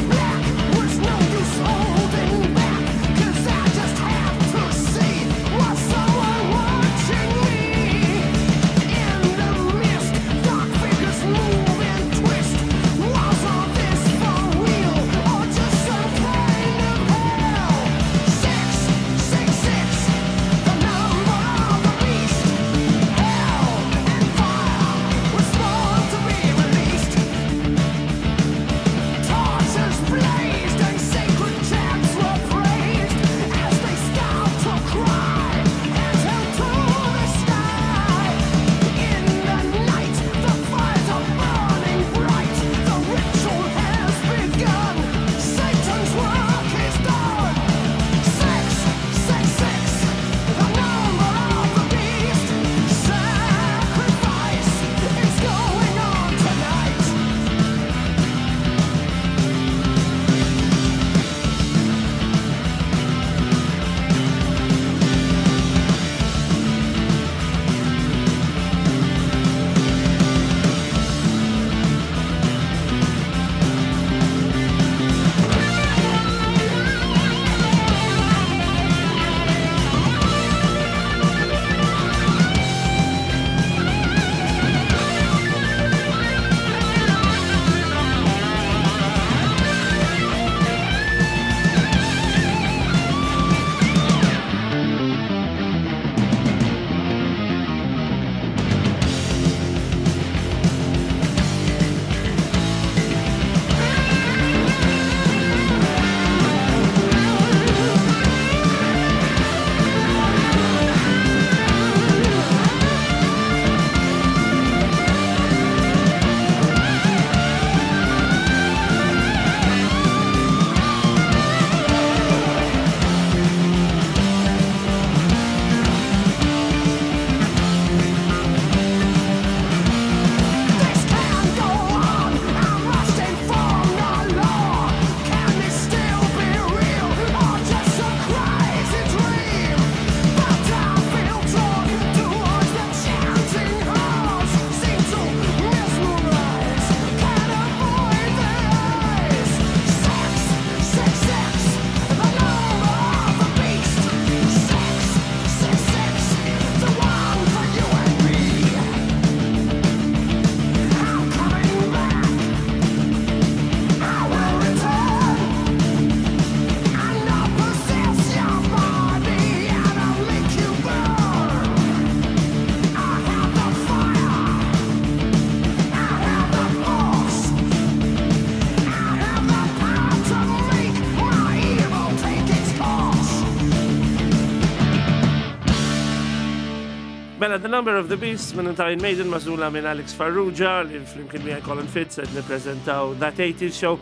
Mela, The Number of the Beast minn Iron Maiden, magħżula minn Alex Farrugia, li flimkien miegħi Colin Fitz qed nippreżentaw That eighties Show.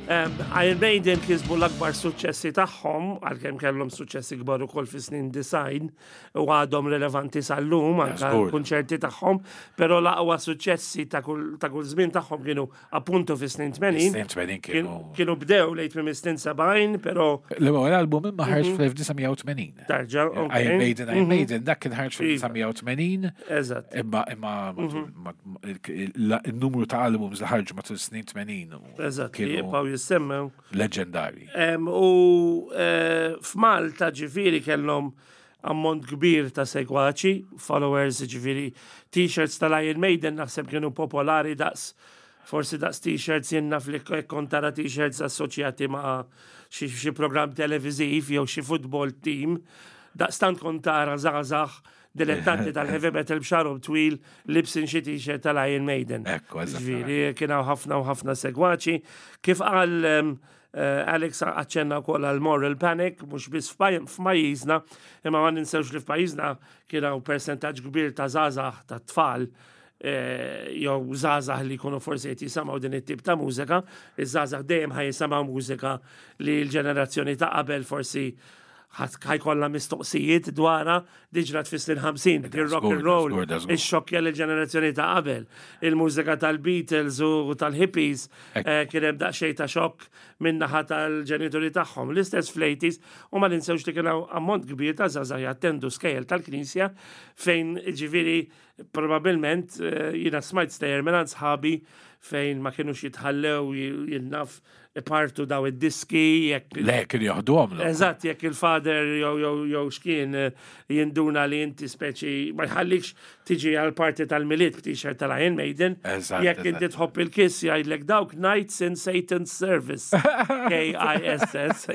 Um, Iron Maiden kisbu l-akbar suċċessi tagħhom, għalkemm kellhom suċċessi kbar ukoll fis-snin disgħin u għadhom relevanti sal-lum anke żgur. kunċerti tagħhom, però l-aqwa suċċessi ta' kull ta' kull żmien tagħhom kienu appuntu fis-snin tmenin. Snin tmenin kienu. Kienu bdew lejn minn snin sebgħin, però L-ewwel album imma ħareġ fl-elf disa' mija u tmenin. Tarġa, ok. Iron Maiden, Iron Maiden, dak kien ħareġ Iva. fil-elf disa' mija u tmenin. Eżatt. Imma imma matul- ma- ma- il- il-numru ta' albums li ħarġu matul snin tmenin u Eżatt, li kienu jibqgħu jissemmew. leġendari. Em, U eh, f'Malta ġifieri kellhom ammont kbir ta' segwaċi, followers, ġifieri t-shirts tal-Iron Maiden naħseb kienu popolari daqs forsi daqs t-shirts, jenna fli kont tara t-shirts assoċjati ma' xi xi program televiziv jew xi football team. Daqstant kont tara żgħażagħ dilettanti tal-heavy metal b'xagħarhom twil libsin xi t-shirt tal-Iron Maiden. Ekku, eżattament. Ġifieri, kien hawn ħafna u ħafna segwaċi. Kif qal em, eh, Alex, aċċenna wkoll għal moral panic, mhux biss f'paj- f'pajjiżna, imma ma ninsewx li f'pajjiżna kien hawn persentaġġ kbir ta' żgħażagħ, ta' tfal eh, jew żgħażagħ li jkunu forsi qed jisimgħu din it-tip ta' mużika. Iż-żgħażagħ dejjem ħa jisimgħu mużika li l-ġenerazzjoni ta' qabel forsi ħa jkollha mistoqsijiet dwarha. Diġà fis-snin ħamsin, il-rock and roll, żgur, da żgur. ixxokkja l-ġenerazzjoni ta' qabel. Il-mużika tal-Beatles u tal-hippies eh, kien hemm daqsxejn ta' xokk min-naħa tal-ġenituri tagħhom. L-istess fl-eighties, u ma ninsewx li kien hawn ammont kbir ta' żgħażagħ jattendu skejjel tal-Knisja fejn ġifieri probabilment eh, jiena smajt stejjer minn sħabi fejn ma kienux jitħallew jien naf ipartu daw id-diski jekk Le, kienu joħduhom. Eżatt, jekk il-father jew jew jew xkien eh, jinduna li inti speċi ma jħallikx tiġi għal parti tal-Milied b't-shirt tal-Iron Maiden. Eżatt, Jekk inti tħobb il-Kiss, jgħidlek dawk Knights in Satan's Service. K I S S.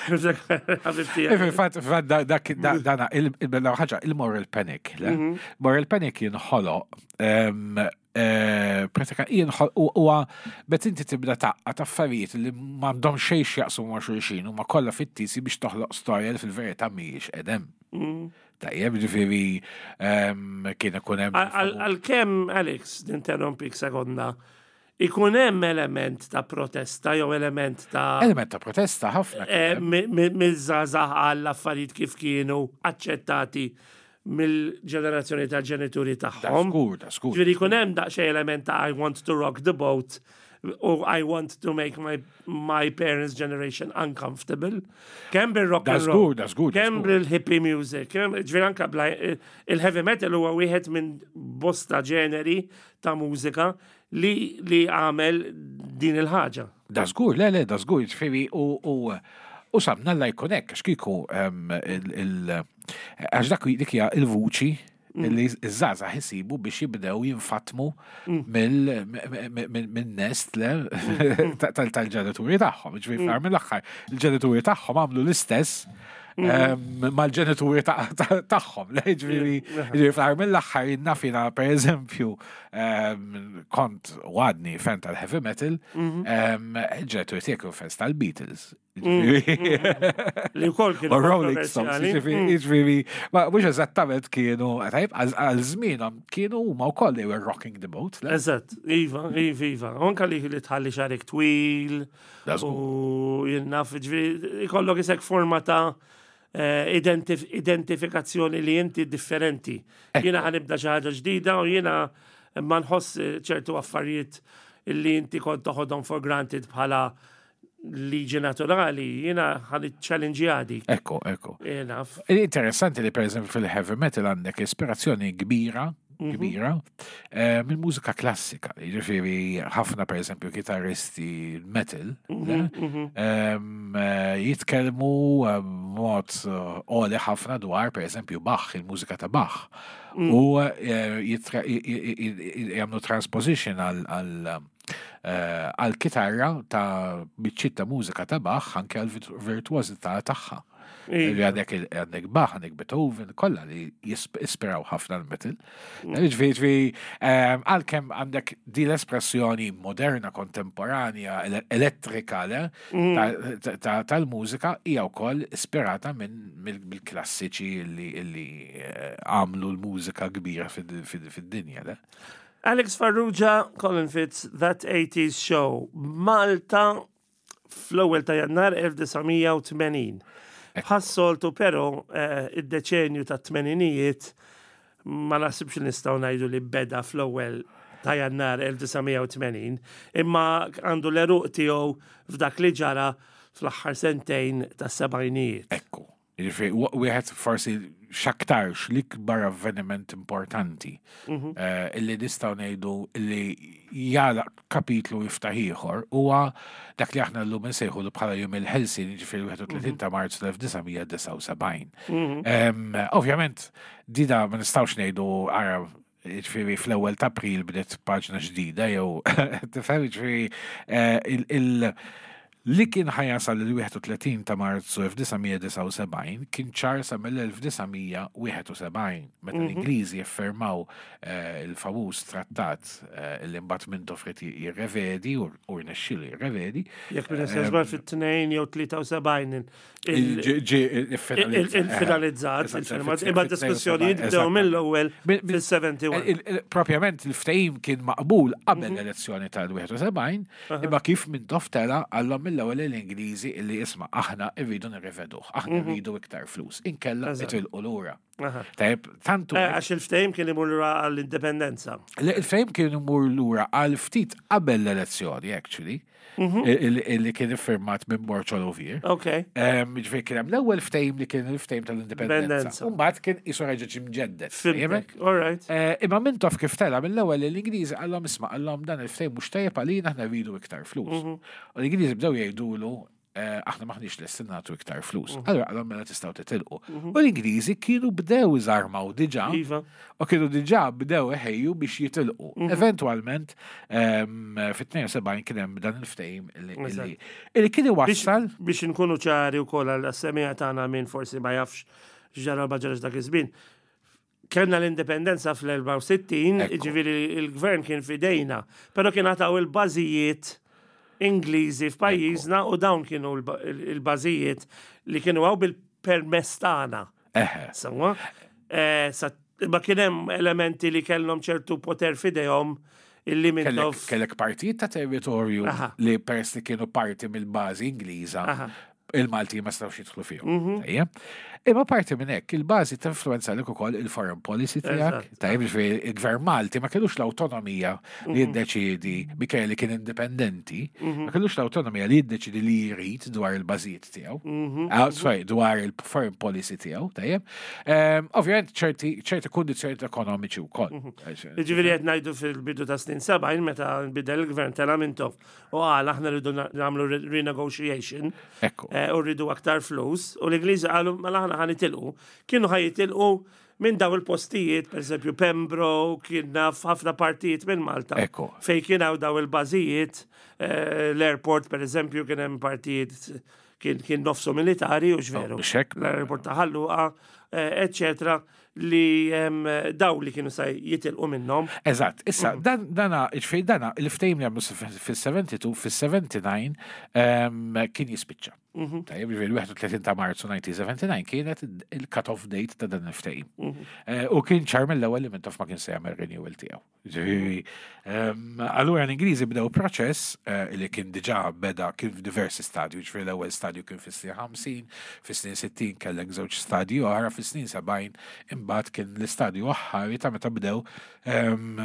Ħabib tiegħi. Fil-fatt, fil-fatt, da- dak, da- dana, il- il- ħaġa, il-moral panic, le? Mhm. Moral panic jinħoloq, em, eh, pratika jinħoloq, u huwa bet inti tibda taqqa ta' affarijiet li m'għandhom xejn x'jaqsmu ma' xulxin u ma kollha fittisi biex toħloq storja li fil-verità mhijiex edem. Mhm. Tajjeb, ġifieri em, kien ikun hemm. Għalkemm, Alex, ninterrompik sekonda, ikun hemm element ta' protesta jew element ta' Element ta' protesta ħafna kien eh, hemm. mi- mi- miż-żgħażagħ għall affarijiet kif kienu aċċettati mill-ġenerazzjoni tal-ġenituri Da tagħhom. żgur, da żgur. Ġifieri jkun hemm daqsxejn element ta' I want to rock the boat u I want to make my, my parents' generation uncomfortable. Kemm bil-rock Da and roll. żgur, da żgur, da Kemm żgur. bil-hippie music. Kemm ġifieri anka bla- il-heavy metal huwa wieħed minn bosta ġeneri ta' mużika li li għamel din il-ħaġa. Da żgur, le, le, da żgur, ġifieri u u u samna la jkun hekk, għax kieku em, il- il- għax dak dik hija il-vuċi li iż-żgħażagħ isibu biex jibdew jinfatmu mill minn nest le tal- tal-ġenituri tagħhom. Ġifieri fl mill-aħħar il-ġenituri tagħhom għamlu l-istess em, mal-ġenituri ta- ta- tagħhom. Le, ġifieri ġifieri fl mill-aħħar naf jiena, per eżempju, em, kont għadni fan tal-heavy metal, em, il-ġenituri tiegħek kienu fans tal-Beatles. Ġifieri- Li wkoll kienu U Rolling Stones, kontroversjali. ġifieri, ġifieri, ma mhux eżattament kienu, tajb, għal żmienhom kienu huma wkoll they were rocking the boat, le? Eżatt, iva, iva, iva. Anka li li tħalli xagħrek twil Da żgur. u jien naf, ġifieri, ikollok isek forma ta' eh, identif identifikazzjoni li inti differenti. Jiena ħa nibda xi ħaġa ġdida u jiena ma nħoss eh, ċertu affarijiet illi inti kont toħodhom for granted bħala liġi naturali, jiena ħa challenge dik. Ekku, ekku. Jiena f- Interessanti li per eżempju fil-heavy metal għandek ispirazzjoni kbira, kbira, eh, minn mużika klassika. Ġifieri ħafna per eżempju kitarristi metal le, em, eh, jitkellmu eh, mod eh, għoli ħafna dwar per eżempju Bach, il-mużika ta' Bach. U eh, jitra- j- j- j- jagħmlu transposition għal għal eh, għal kitarra ta' biċċiet ta' mużika ta' Bach anke għal virtuożità tagħha. Li għandek il- għandek Bach, għandek Beethoven, kollha li jisp- ispiraw ħafna l-metal. Ġifieri, ġifieri, ehm, għalkemm għandek di l-espressjoni moderna, kontemporanja, ele- elettrika, le, ta- ta- ta- tal-mużika hija wkoll ispirata minn mill- mill-klassiċi li li eh, għamlu l-mużika kbira fid- fid- fid-dinja, le? Alex Farrugia, Colin Fitz, That eighties Show. Malta fl-ewwel ta' Jannar elf disa' mija u tmenin. Bħas-soltu però eh, id-deċenju ta' tmeninijiet ma naħsibx li nistgħu ngħidu li beda fl-ewwel ta' Jannar elf disa' mija u tmenin, imma għandu l-għeruq tiegħu f'dak li ġara fl-aħħar sentejn tas-sebgħinijiet. Ekku. Ġifieri, wieħed forsi x'aktarx l-ikbar avveniment importanti eh, illi nistgħu ngħidu illi jagħlaq kapitlu, jiftaħ ieħor, huwa dak li aħna llum insejħu bħala Jum il-Ħelsien, ġifieri wieħed u tletin ta' Marzu elf disa' mija disgħa u sebgħin. Em, Ovvjament, dida ma nistgħux ngħidu ara, ġifieri, fl-ewwel ta' April bdiet paġna ġdida jew tifhem, ġifieri, eh, il- il- li kien ħa jasal il-wieħed u tletin ta' Marzu elf disa' mija disgħa u sebgħin kien ċar sa mill-elf disa' mija wieħed u sebgħin, meta l-Ingliżi jiffirmaw eh, il-famuż trattat eh, li mbagħad Mintoff ried jirrevedi u u rnexxielu jirrevedi. Jekk minn żball fit-tnejn jew tlieta u sebgħin il- Ġi- ġi il-finalizzat. il-finalizzat, Eżatt, il-firmat, fit- imma fit- diskussjonijiet bdew eżatt. mill-ewwel Bil- bil- fil-sebgħa u sebgħin. Il- il- Propjament il-ftehim kien maqbul qabel l-elezzjoni tal-wieħed u sebgħin, imma kif Mintoff tela qallhom mill-ewwel l-Ingliżi illi isma', aħna irridu nirreveduh, aħna rridu iktar flus, inkella Eżatt. itilqu lura. Aha. Tajjeb, tantu Eh, Għax il-ftehim kien imur lura għall-indipendenza. Il-ftehim kien imur lura għal ftit qabel l-elezzjoni, actually, il- illi kien iffirmat minn Borg Olivier. Ok. Ġifieri kien hemm l-ewwel ftehim li kien il-ftehim tal-indipendenza. Indipendenza. U mbagħad kien qisu reġa' ġie mġedded. Fhimtek. All right. Eh, Imma Mintoff kif tela mill-ewwel l-Ingliżi qallhom isma', qallhom dan il-ftehim mhux tajjeb għalina, aħna rridu iktar flus. U l-Ingliżi bdew jgħidulu eh, aħna maħniex lesti nagħtu iktar flus. Allura qallhom mela tistgħu titilqu. U l-Ingliżi kienu bdew iżarmaw diġà Iva. u kienu diġà bdew iħejju biex jitilqu. Eventwalment em, fit-tnejn u sebgħin kien hemm dan il-ftehim illi- illi illi kien iwassal Biex nkunu ċari wkoll għal-semmiegħa tagħna, min forsi ma jafx x'ġara, ma ġarax dak iż-żmien. Kellna l-indipendenza fl-erbgħa u sittin, Ekku. ġifieri il-gvern kien fidejna, però kien għataw il-bażijiet Ingliżi f'pajjiżna u dawn kienu l- il-bażijiet li kienu hawn bil-permess tagħna. Eħe. Sewwa, eh, sa- ma kien hemm elementi li kellhom ċertu poter fidejhom illi Kellek, Mintoff. kellek partijiet ta' territorju Aha. li peress li kienu parti mill-bażi Ingliża, Aha. il-Malti ma stawx jidħlu fihom. Tajjeb. Imma parti minn hekk, il-bażi tinfluwenza lek ukoll il-foreign policy tiegħek. Eżatt. Tajjeb, ġifieri il-gvern Malti ma kellux l-awtonomija li jiddeċiedi, minkejja li kien indipendenti, ma kellux l-awtonomija li jiddeċidi li jrid dwar il-bażijiet tiegħu. Ah, sorry, dwar il-foreign policy tiegħu, tajjeb. Ehm, Ovvjament ċerti ċerti kundizzjonijiet ekonomiċi wkoll. Ġifieri qed ngħidu fil-bidu ta' snin sebgħin, meta nbidel il-gvern, tela Mintoff u qal aħna rridu na- nagħmlu re- renegotiation Ekku. eh, u rridu aktar flus, u l-Ingliżi qalu mela aħna ħa nitilqu. Kienu ħa jitilqu minn daw il-postijiet, per eżempju Pembroke, kien naf ħafna partijiet minn Malta. Ekku. Fej kien hawn daw il-bażijiet, eh, l-airport per eżempju kien hemm partijiet kien kien nofsu militari u x'veru. Oh, biex hekk. L-airport ta' Ħal Luqa, eh, eccetera, li em, daw li kienu sa jitilqu minnhom. Eżatt, issa, dan, dana, ġifieri dana, il-ftehim li għamlu fil-sebgħa u sebgħin, fil-sebgħa u disgħin em, kien jispiċċa. Tajjeb, ġifieri wieħed u tletin ta' Marzu elf disa' mija sebgħa u disgħin kienet il-cut-off date ta' dan il-ftehim. Eh, U kien ċar mill-ewwel li Mintoff ma kien se jagħmel renewal tiegħu. Ġifieri, em, allura l-Ingliżi bdew proċess eh, li kien diġà beda, kien f'diversi stadju, ġifieri l-ewwel stadju kien fis-snin ħamsin, fis-snin sittin kellek żewġ stadji oħra, fis-snin sebgħin imbagħad kien l-istadju aħħari ta' meta bdew em,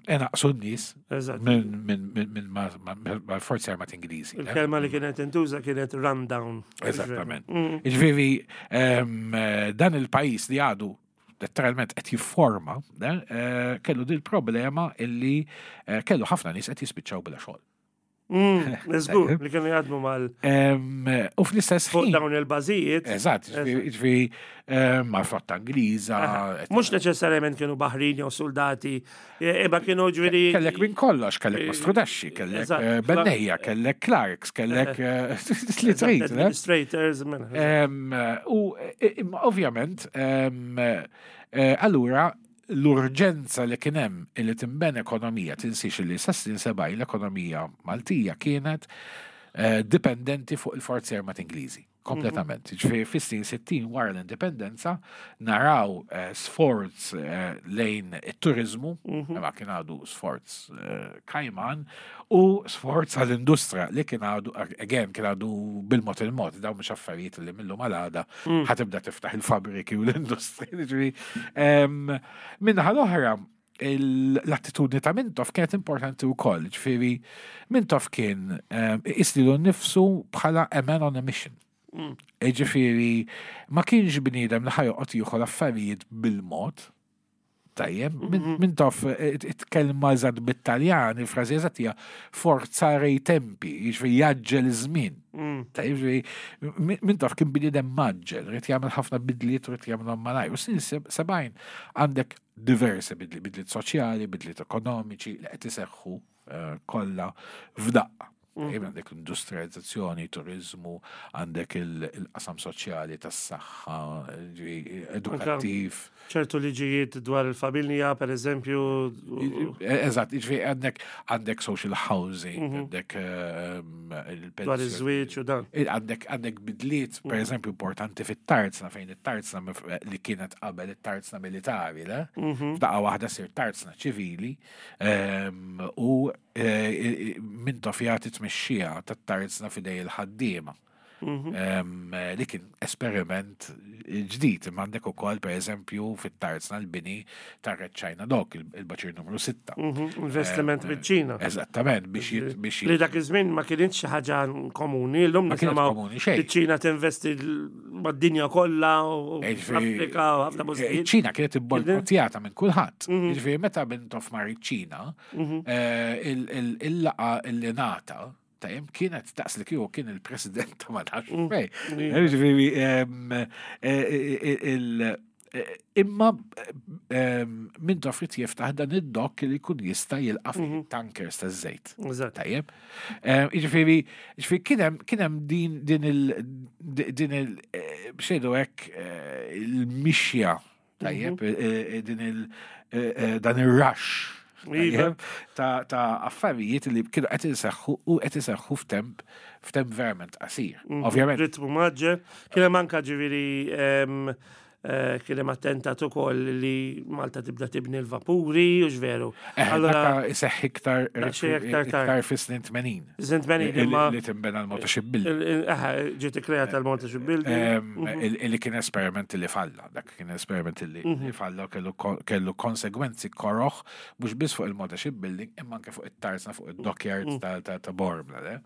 inaqsu n-nies Eżatt. minn minn minn minn ma- ma- ma' forzi armati Ingliżi. Il-kelma li kienet intuża kienet rundown. Eżattament. Ġifieri, em, eh, dan il-pajjiż li għadu letteralment qed jifforma, eh, kellu dil problema illi eh, kellu ħafna nies qed jispiċċaw bla xogħol. Mm, żgur li kienu jaħdmu mal Em, U fl-istess fuq ħin. dawn il-bażijiet. Eżatt, ġifieri mal-flotta Ingliża. Mhux neċessarjament kienu baħrin jew soldati, e- imma kienu ġifieri. Kellek minn kollox, kellek mastrudaxxi, kellek Eżatt. eh, bennejja, kellek clerks, kellek eh, li trid, le? Administrators, mela. Em, U eh, imma ovvjament, em, eh, allura l-urġenza li kien hemm li tinbena ekonomija, tinsiex li sa snin sebgħin l-ekonomija Maltija kienet eh, dipendenti fuq il-forzi armati Ingliżi. Kompletament. Ġifieri fis-snin sittin wara l-indipendenza naraw eh, sforz eh, lejn it-turizmu, ma kien għadu sforz eh, kajman, u sforz għall-industrija li kien għadu, again, kien għadu bil-mod il-mod, dawn mhux affarijiet li mil-lum għal għada ħa tibda tiftaħ il-fabriki u l-industrija. Ġifieri, em, Min-naħa l-oħra, il- l-attitudni ta' Mintoff kienet importanti u koll, ġifieri, Mintoff kien um, iqis lilu nnifsu bħala a man on a mission. Ġifieri, ma kienx bniedem li ħa joqgħod jieħu l-affarijiet bil-mod. Tajjeb, Min- Mintoff it-kelma eżatt bit-Taljan, il-frażi eżatt hija forzare i tempi, jiġifieri jgħaġġel iż-żmien. Tajjeb, ġifieri, Min- Mintoff kien bniedem mgħaġġel, ried jagħmel ħafna bidliet u ried jagħmelhom malajr. U snin seb- sebgħin għandek diversi bidliet, bidliet soċjali, bidliet ekonomiċi li qed iseħħu eh, kollha f'daqqa. Tajjeb, għandek l-industrializzazzjoni, turizmu, għandek il- il-qasam soċjali tas-saħħa, ġifieri, edukattiv. ċertu liġijiet dwar il-familja, per eżempju. u- Eżatt, ġifieri għandek għandek social housing, għandek ehm, il-pensjoni. Dwar iż-żwieġ u dan. Il- Għandek għandek bidliet, per eżempju, importanti fit-tarzna, fejn it-tarzna mif- li kienet qabel it-tarzna militari, le? F'daqqa waħda ssir tarzna ċivili, ehm, u eh, Mintoff jagħti tmexxija tat-tarzna f'idejn il-ħaddiema. Ehm, Li kien esperiment ġdid, imma għandek ukoll per eżempju fit-tarzna l-bini tar-Red China Dock, il- il-baċir numru sitta. Mhm, Investiment miċ-Ċina. Eżattament, biex jit- biex Li dak iż-żmien ma kienx xi ħaġa komuni, llum Ma kienet nisimgħu komuni xejn. Iċ-Ċina tinvesti l- mad-dinja kollha u Ġifieri- Afrika u ħafna postijiet. ċina kienet ibbojkottjata minn kulħadd. Ġifieri meta Mintoff mar iċ-Ċina, eh, il- il- il-laqgħa illi ngħata tajjeb kienet daqs li kieku kien il-president ta' ma nafx fejn. Ġifieri em, eh, eh, il- eh, imma em, Mintoff ried jiftaħ dan id-dock li jkun jista' jilqa' fih tankers taż-żejt. Eżatt. Tajjeb. Eh, Jiġifieri, jiġifieri kien hemm kien hemm din din il din il eh, xejdu hekk eh, il-mixja tajjeb, eh, eh, din il eh, eh, dan ir-rush Iva. tajjeb, ta' ta' affarijiet li kienu qed iseħħu u qed iseħħu f'temp f'temp verament qasir. Ovvjament, Ritmu mgħaġġel. Kien hemm anka ġifieri em, eh, kien hemm attentat ukoll li Malta tibda tibni l-vapuri u x'veru. eh, Allora, dakka iseħħ iktar Daqsxejn iktar tard. iktar fis-snin tmenin. Snin tmenin, Li- imma li tinbena l-Malta Shipbuilding. il- il- eh, ġiet ikkreata l-Malta Shipbuilding. Em, il- Illi kien esperiment li falla, dak kien esperiment li li falla u kellu ko- kellu konsegwenzi koroħ, mhux biss fuq il-Malta Shipbuilding, imma anke fuq it-tarzna fuq id-dockyards ta' ta' ta' Bormla, le?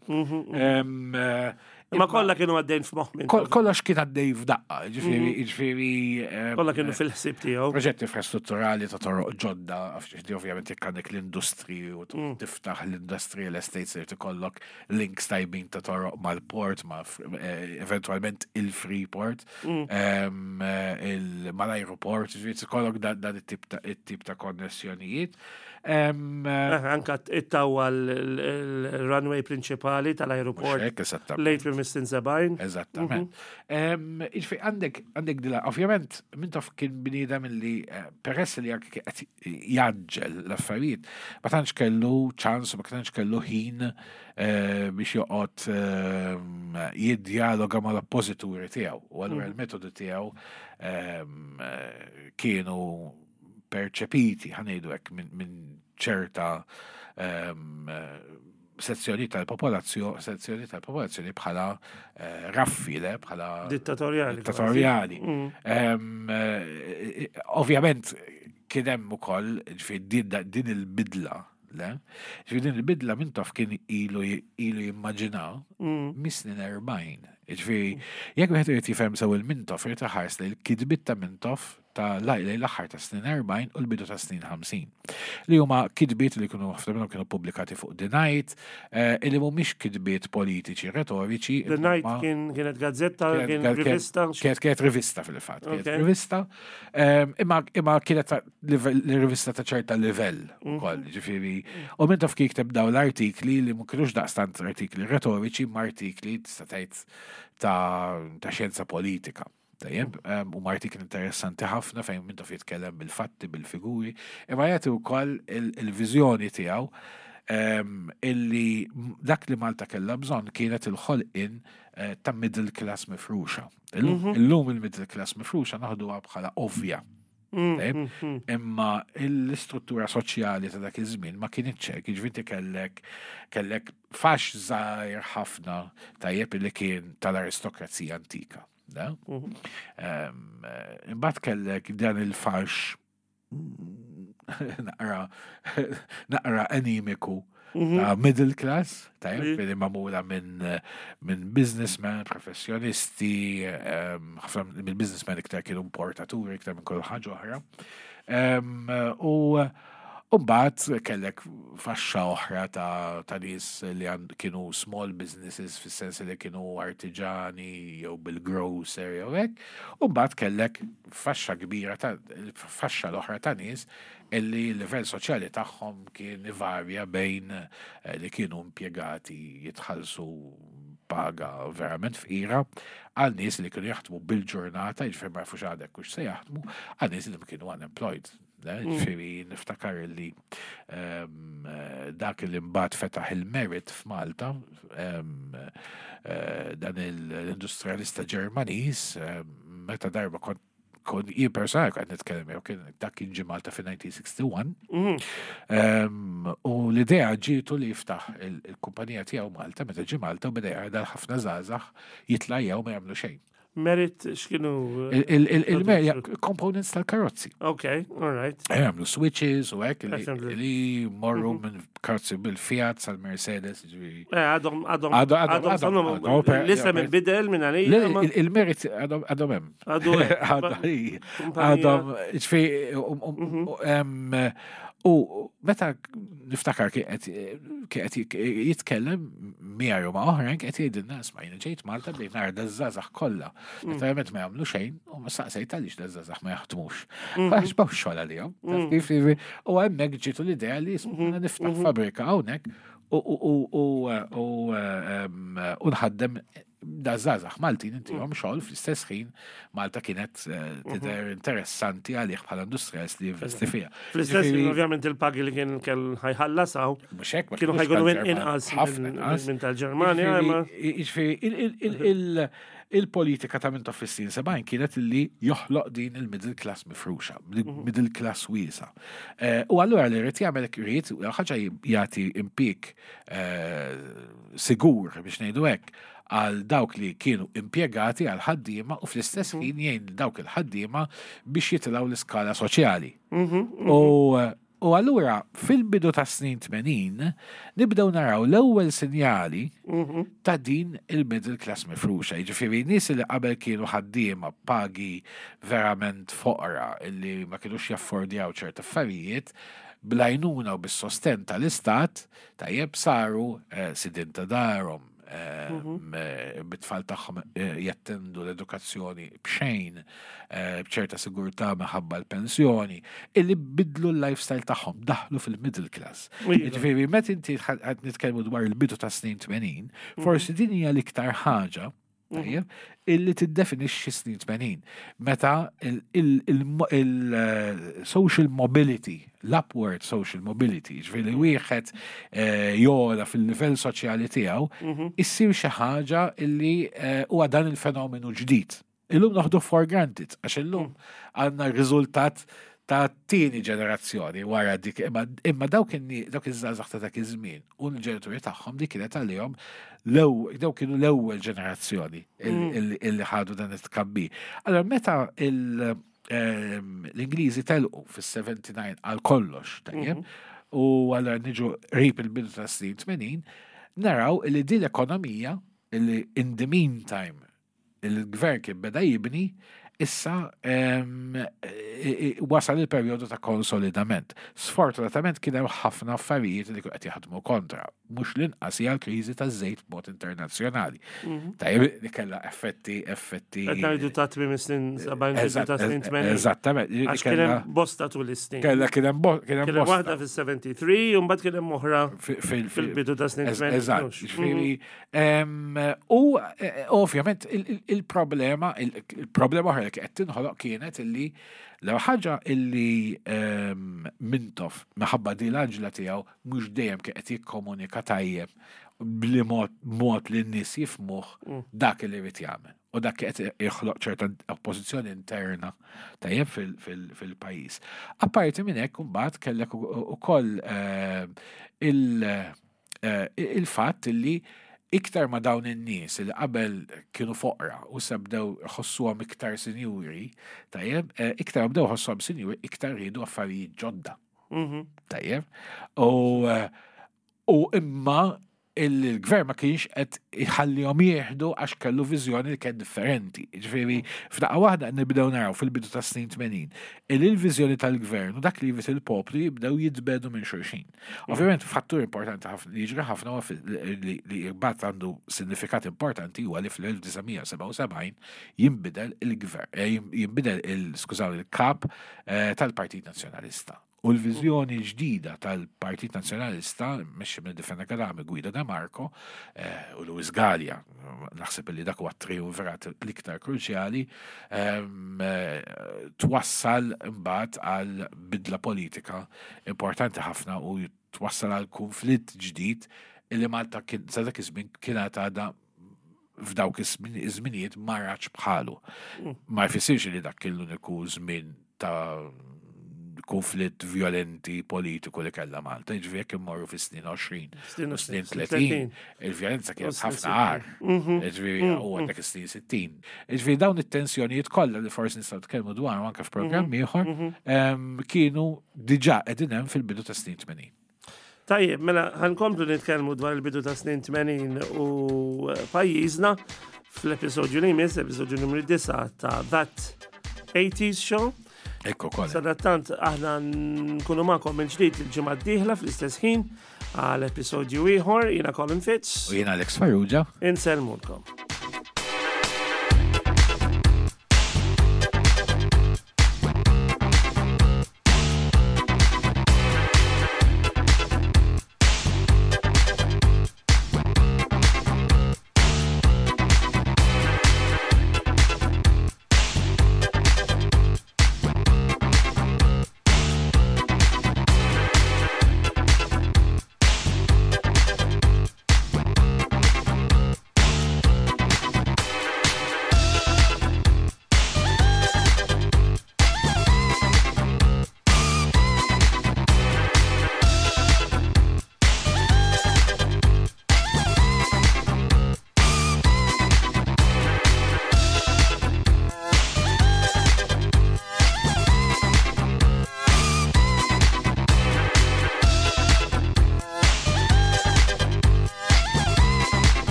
Em, eh, Imma kollha kienu għaddejn f'moħħ minn. kol- Kollox kien għaddej f'daqqa, ġifieri, ġifieri. em, Kollha kienu fil-ħsieb tiegħu. Proġetti infrastrutturali ta' toroq ġodda, għax ovvjament jekk għandek l-industri u tiftaħ l-industrial estates irid ikollok links tajbin ta' toroq mal-port, ma' eh, eventualment il-Freeport, em, eh, il- mal-aeroport, ġifieri ikollok dan dan it-tip ta' it-tip ta' konnessjonijiet. Em, eh, Eh, Anka ittawwa l-runway prinċipali tal-aeroport Mhux hekk, eżattament. late fis-snin sebgħin. Eżattament. Em, Jiġifieri għandek għandek dila, ovvjament, Mintoff kien bniedem li eh, peress li anke qed jgħaġġel l-affarijiet, ma tantx kellu ċans, ma tantx kellu ħin eh, biex joqgħod ehm, jiddialoga mal-oppożituri tiegħu. U allura il-metodu tiegħu ehm, eh, kienu perċepiti, ħa ngħidu hekk, minn min ċerta ehm, eh, sezzjoni tal-popolazzjoni, sezzjoni tal-popolazzjoni bħala eh, raffi, le, bħala Dittatorjali. dittatorjali. Em, eh, Ovvjament kien hemm ukoll ġifieri din din il-bidla, le? Ġifieri din il-bidla Mintoff kien ilu ilu jimmaġina mis-snin erbgħin. Ġifieri jekk wieħed irid jifhem sew il-Mintoff irid iħares li l-kitbiet ta' Mintoff ta' l-aħħar ta' snin erbgħin u l-bidu ta' snin ħamsin. Li huma kitbiet li kienu, ħafna minnhom kienu pubblikati fuq The Night, eh, illi mhumiex kitbiet politiċi retoriċi. The Night imma- kien kienet gazzetta, kienet- kien kienet- rivista. Kienet kienet rivista fil-fatt, kienet Ok. rivista, Em, imma imma kienet ta' livell- rivista ta' ċerta livell ukoll, ġifieri. U Mintoff kien jikteb daw l-artikli li ma kienux daqstant artikli retoriċi, ma artikli tista' tgħid ta' ta' xjenza politika. Tajjeb, em, u artikli interessanti ħafna fejn Mintoff jitkellem bil-fatti, bil-figuri, imma jagħti wkoll il- il-viżjoni tiegħu em, illi m- dak li Malta kellha bżonn kienet il-ħolqien eh, ta' middle class mifruxa. Illum illum il-middle class mifruxa naħduha bħala ovvja. Tajjeb? Imma l-istruttura soċjali ta' dak iż-żmien ma kienitx hekk, jiġifieri inti kellek kellek fax żgħir ħafna, tajjeb, illi kien tal-aristokrazija antika. Da? Em, eh, Imbagħad kellek dan il-fax naqra naqra anemiku ta' middle class, tajjeb, li magħmula minn minn businessmen, professjonisti, em, ħafna minn businessmen iktar kienu importaturi, iktar minn kull ħaġa oħra. Em, U u mbagħad kellek faxxa oħra ta' ta' nies li għand- kienu small businesses, fis-sens li kienu artiġani jew bil-grocer jew hekk. U mbagħad kellek faxxa kbira ta' faxxa l-oħra ta' nies illi l-livell soċjali tagħhom kien ivarja bejn eh, li kienu impjegati jitħallsu paga verament fqira għal nies li kienu jaħdmu bil-ġurnata, jiġifieri ma jafux għadek hux se jaħdmu, għal nies li kienu unemployed. Ne? Ġifieri niftakar li em, eh, dak li mbagħad fetaħ il-Merit f'Malta, em, eh, dan il- l-industrialista Ġermaniż, em, meta darba kont kon jien personali kont nitkellem jew kien dak kien ġie Malta fi elf disa' mija u wieħed u sittin. Em, U l-idea ġietu li jiftaħ il- il-kumpanija tiegħu Malta meta ġie Malta u beda jara ħafna żgħażagħ jitlajjaw, ma jagħmlu xejn. Merit x'kienu? Il- il- il- Il-Merit components tal-karozzi. Ok, all right. Jagħmlu switches u hekk li- Assembly. li morru minn karozzi bil-Fiat sal-Mercedes, ġifieri. Eh, Għadhom, għadhom, Għadhom- għadhom- għadhom, għadhom- għadhom, per- l-isem per- inbidel minn Le, għalija. ma- il- Il-Merit għadhom għadhom hemm. Għadu hemm. Għadhom Kumpanija- għadhom, ġifieri, um- um- u em, u meta niftakar kien qed kien qed jitkellem miegħi u ma' oħrajn, qed jgħidilna, "Isma', jiena ġejt Malta, bdejt nara daż-żgħażagħ kollha. Letteralment ma jagħmlu xejn, u ma saqsejt għaliex daż-żgħażagħ ma jaħdmux. Għax m'hawnx xogħol għalihom." Taf kif? U hemmhekk ġietu l-idea li, isma', niftaħ fabrika hawnhekk u u u u u em, u nħaddem daż-żgħażagħ Maltin, intihom xogħol. Fl-istess ħin Malta kienet eh, tidher interessanti għalih bħala industrialist li jinvesti fiha. Fl-istess ħin, Ġifieri, ovvjament, il-pagi li kien kell ħa jħallasaw mhux hekk, ma kienu kinux ħa jkunu tal-Ġermanja, inqas ħafna minn inqas. minn tal-Ġermanja. imma- Ġifieri, il- il- il- il- il-politika ta' Mintoff fis-snin sebgħin kienet li joħloq din il-middle class mifruxa, middle class wiesa. Eh, U allura li rrid jagħmel, ried ħaġa jagħti impjieg eh, sigur, biex ngħidu hekk, għal dawk li kienu impjegati, għal ħaddiema, u fl-istess ħin jgħin dawk il-ħaddiema biex jitilgħu l-iskala soċjali. U U allura fil-bidu ta' snin tmenin nibdew naraw l-ewwel sinjali ta' din il-middle class mifruxa. Jiġifieri nies li qabel kienu ħaddiema pagi verament foqra illi ma kienux jaffordjaw ċerta affarijiet, bl-għajnuna u bis-sosten tal-istat, tajjeb, saru eh, sidin ta' darhom, eh, m- bit-tfal tagħhom eh, jattendu l-edukazzjoni b'xejn, eh, b'ċerta sigurtà minħabba l-pensjoni, illi bidlu l-lifestyle tagħhom, daħlu fil-middle class. Iva. Ġifieri, meta inti qed nitkellmu dwar il-bidu ta' snin tmenin, forsi din hija l-iktar ħaġa, tajjeb, illi tiddefinixxi snin tmenin. Meta il-social mobility, l-upward social mobility, ġifieri wieħed eh, jogħla fil-livell soċjali tiegħu, issir xi ħaġa illi eh, huwa dan il-fenomenu ġdid. Illum naħdu for granted, għax illum għandna riżultat ta' tieni ġenerazzjoni wara dik, imma, imma dawk inni dawk iż-żgħażagħ ta' dak iż-żmien u l-ġenituri tagħhom, dik kienet għalihom l-ewwel, dawk kienu l-ewwel ġenerazzjoni illi illi ħadu dan it-tkabbir. Allora meta il- ehm, l-Ingliżi telqu fis-sebgħa u sebgħin għal kollox, tajjeb, u allura niġu qrib il-bidu ta' snin tmenin, naraw li din l-ekonomija illi in the meantime il-gvern kien beda jibni, Issa em, e- e- wasal il-perjodu ta' konsolidament. Sfortunatament kien hemm ħafna affarijiet li qed jaħdmu kontra. Mhux l-inqas hija l-kriżi taż-żejt b'mod internazzjonali. Tajjeb, li kellha effetti effetti. Qed ngħidu ta' tmiem is-snin sebgħin, bidu ta' snin tmenin. Eżattament. Li Għax kien kellha hemm bosta tul is-snin. Kellha kien hemm bo- kien hemm Kien hemm bosta. waħda fis-sebgħa u tmenin u mbagħad kien hemm oħra Fi- fil- fil-bidu ta' snin Ez- tmenin. Eżatt, Mhux. ġifieri, em, u eh, ovvjament il- il- il-problema, il- il-problema oħra li qed tinħoloq kienet illi l ħaġa illi em, Mintoff minħabba di l-għaġla tiegħu mhux dejjem kien qed jikkomunika tajjeb bli mod mod li n-nies jifhmuh dak li jrid jagħmel. U dak qed joħloq ċerta oppożizzjoni interna tajjeb fil- fil- fil-pajjiż. Apparti minn hekk imbagħad kellek u- ukoll eh, il- eh, il-fatt li iktar ma dawn in-nies li qabel kienu foqra u sa bdew ħossuhom iktar sinjuri, tajjeb, eh, iktar bdew ħossuhom sinjuri, iktar riedu affarijiet ġodda. Mhm. Tajjeb. U eh, u imma il-gvern ma kienx qed iħallihom jieħdu għax kellu viżjoni li kien differenti. Ġifieri, f'daqqa waħda nibdew naraw fil-bidu ta' snin tmenin il il-viżjoni tal-gvern u dak li jrid il-poplu jibdew jitbiegħdu minn xulxin. Ovvjament fattur importanti ħafna li jiġri ħafna huwa fil- li li imbagħad għandu sinifikat importanti huwa li fl-elf disa' mija sebgħa u sebgħin jinbidel il-gvern, eh, jinbidel il skużaw il-kap eh, tal-Partit Nazzjonalista. U l-viżjoni ġdida tal-Partit Nazzjonalista, mexxi minn Fenech Adami, Guido De Marco eh, u Louis Galea, naħseb li dak huwa triumvirat l-iktar kruċjali, em, eh, twassal imbagħad għal bidla politika importanti ħafna u twassal għal konflitt ġdid illi Malta kien sa dak iż-żmien kienet għadha f'dawk iż-żminijiet ma ratx bħalu. Ma jfissirx li dak kien l-uniku żmien ta' konflitt violenti politiku li kellha Malta. Ġifieri jekk immorru fi snin għoxrin Snin u snin snin tletin, il-vjolenza U kienet snin ħafna agħar. Ġifieri u għandek is-snin sittin. Ġifieri dawn it-tensjonijiet kollha li forsi nistgħu nitkellmu dwar anke f'programm ieħor em, kienu diġà qegħdin hemm fil-bidu ta' snin tmenin. Tajjeb, mela ħa nkomplu nitkellmu dwar il-bidu ta' snin tmenin u eh, pajjiżna fl-episodju li jmiss, episodju numru disgħa ta' That eighties Show. Ekku kollha. Sadattant aħna nkunu magħkom minn ġdid il-ġimgħa d-dieħla fl-istess ħin għal episodju ieħor. Jiena Colin Fitz. U jiena Alex Farrugia. Insellmulkom.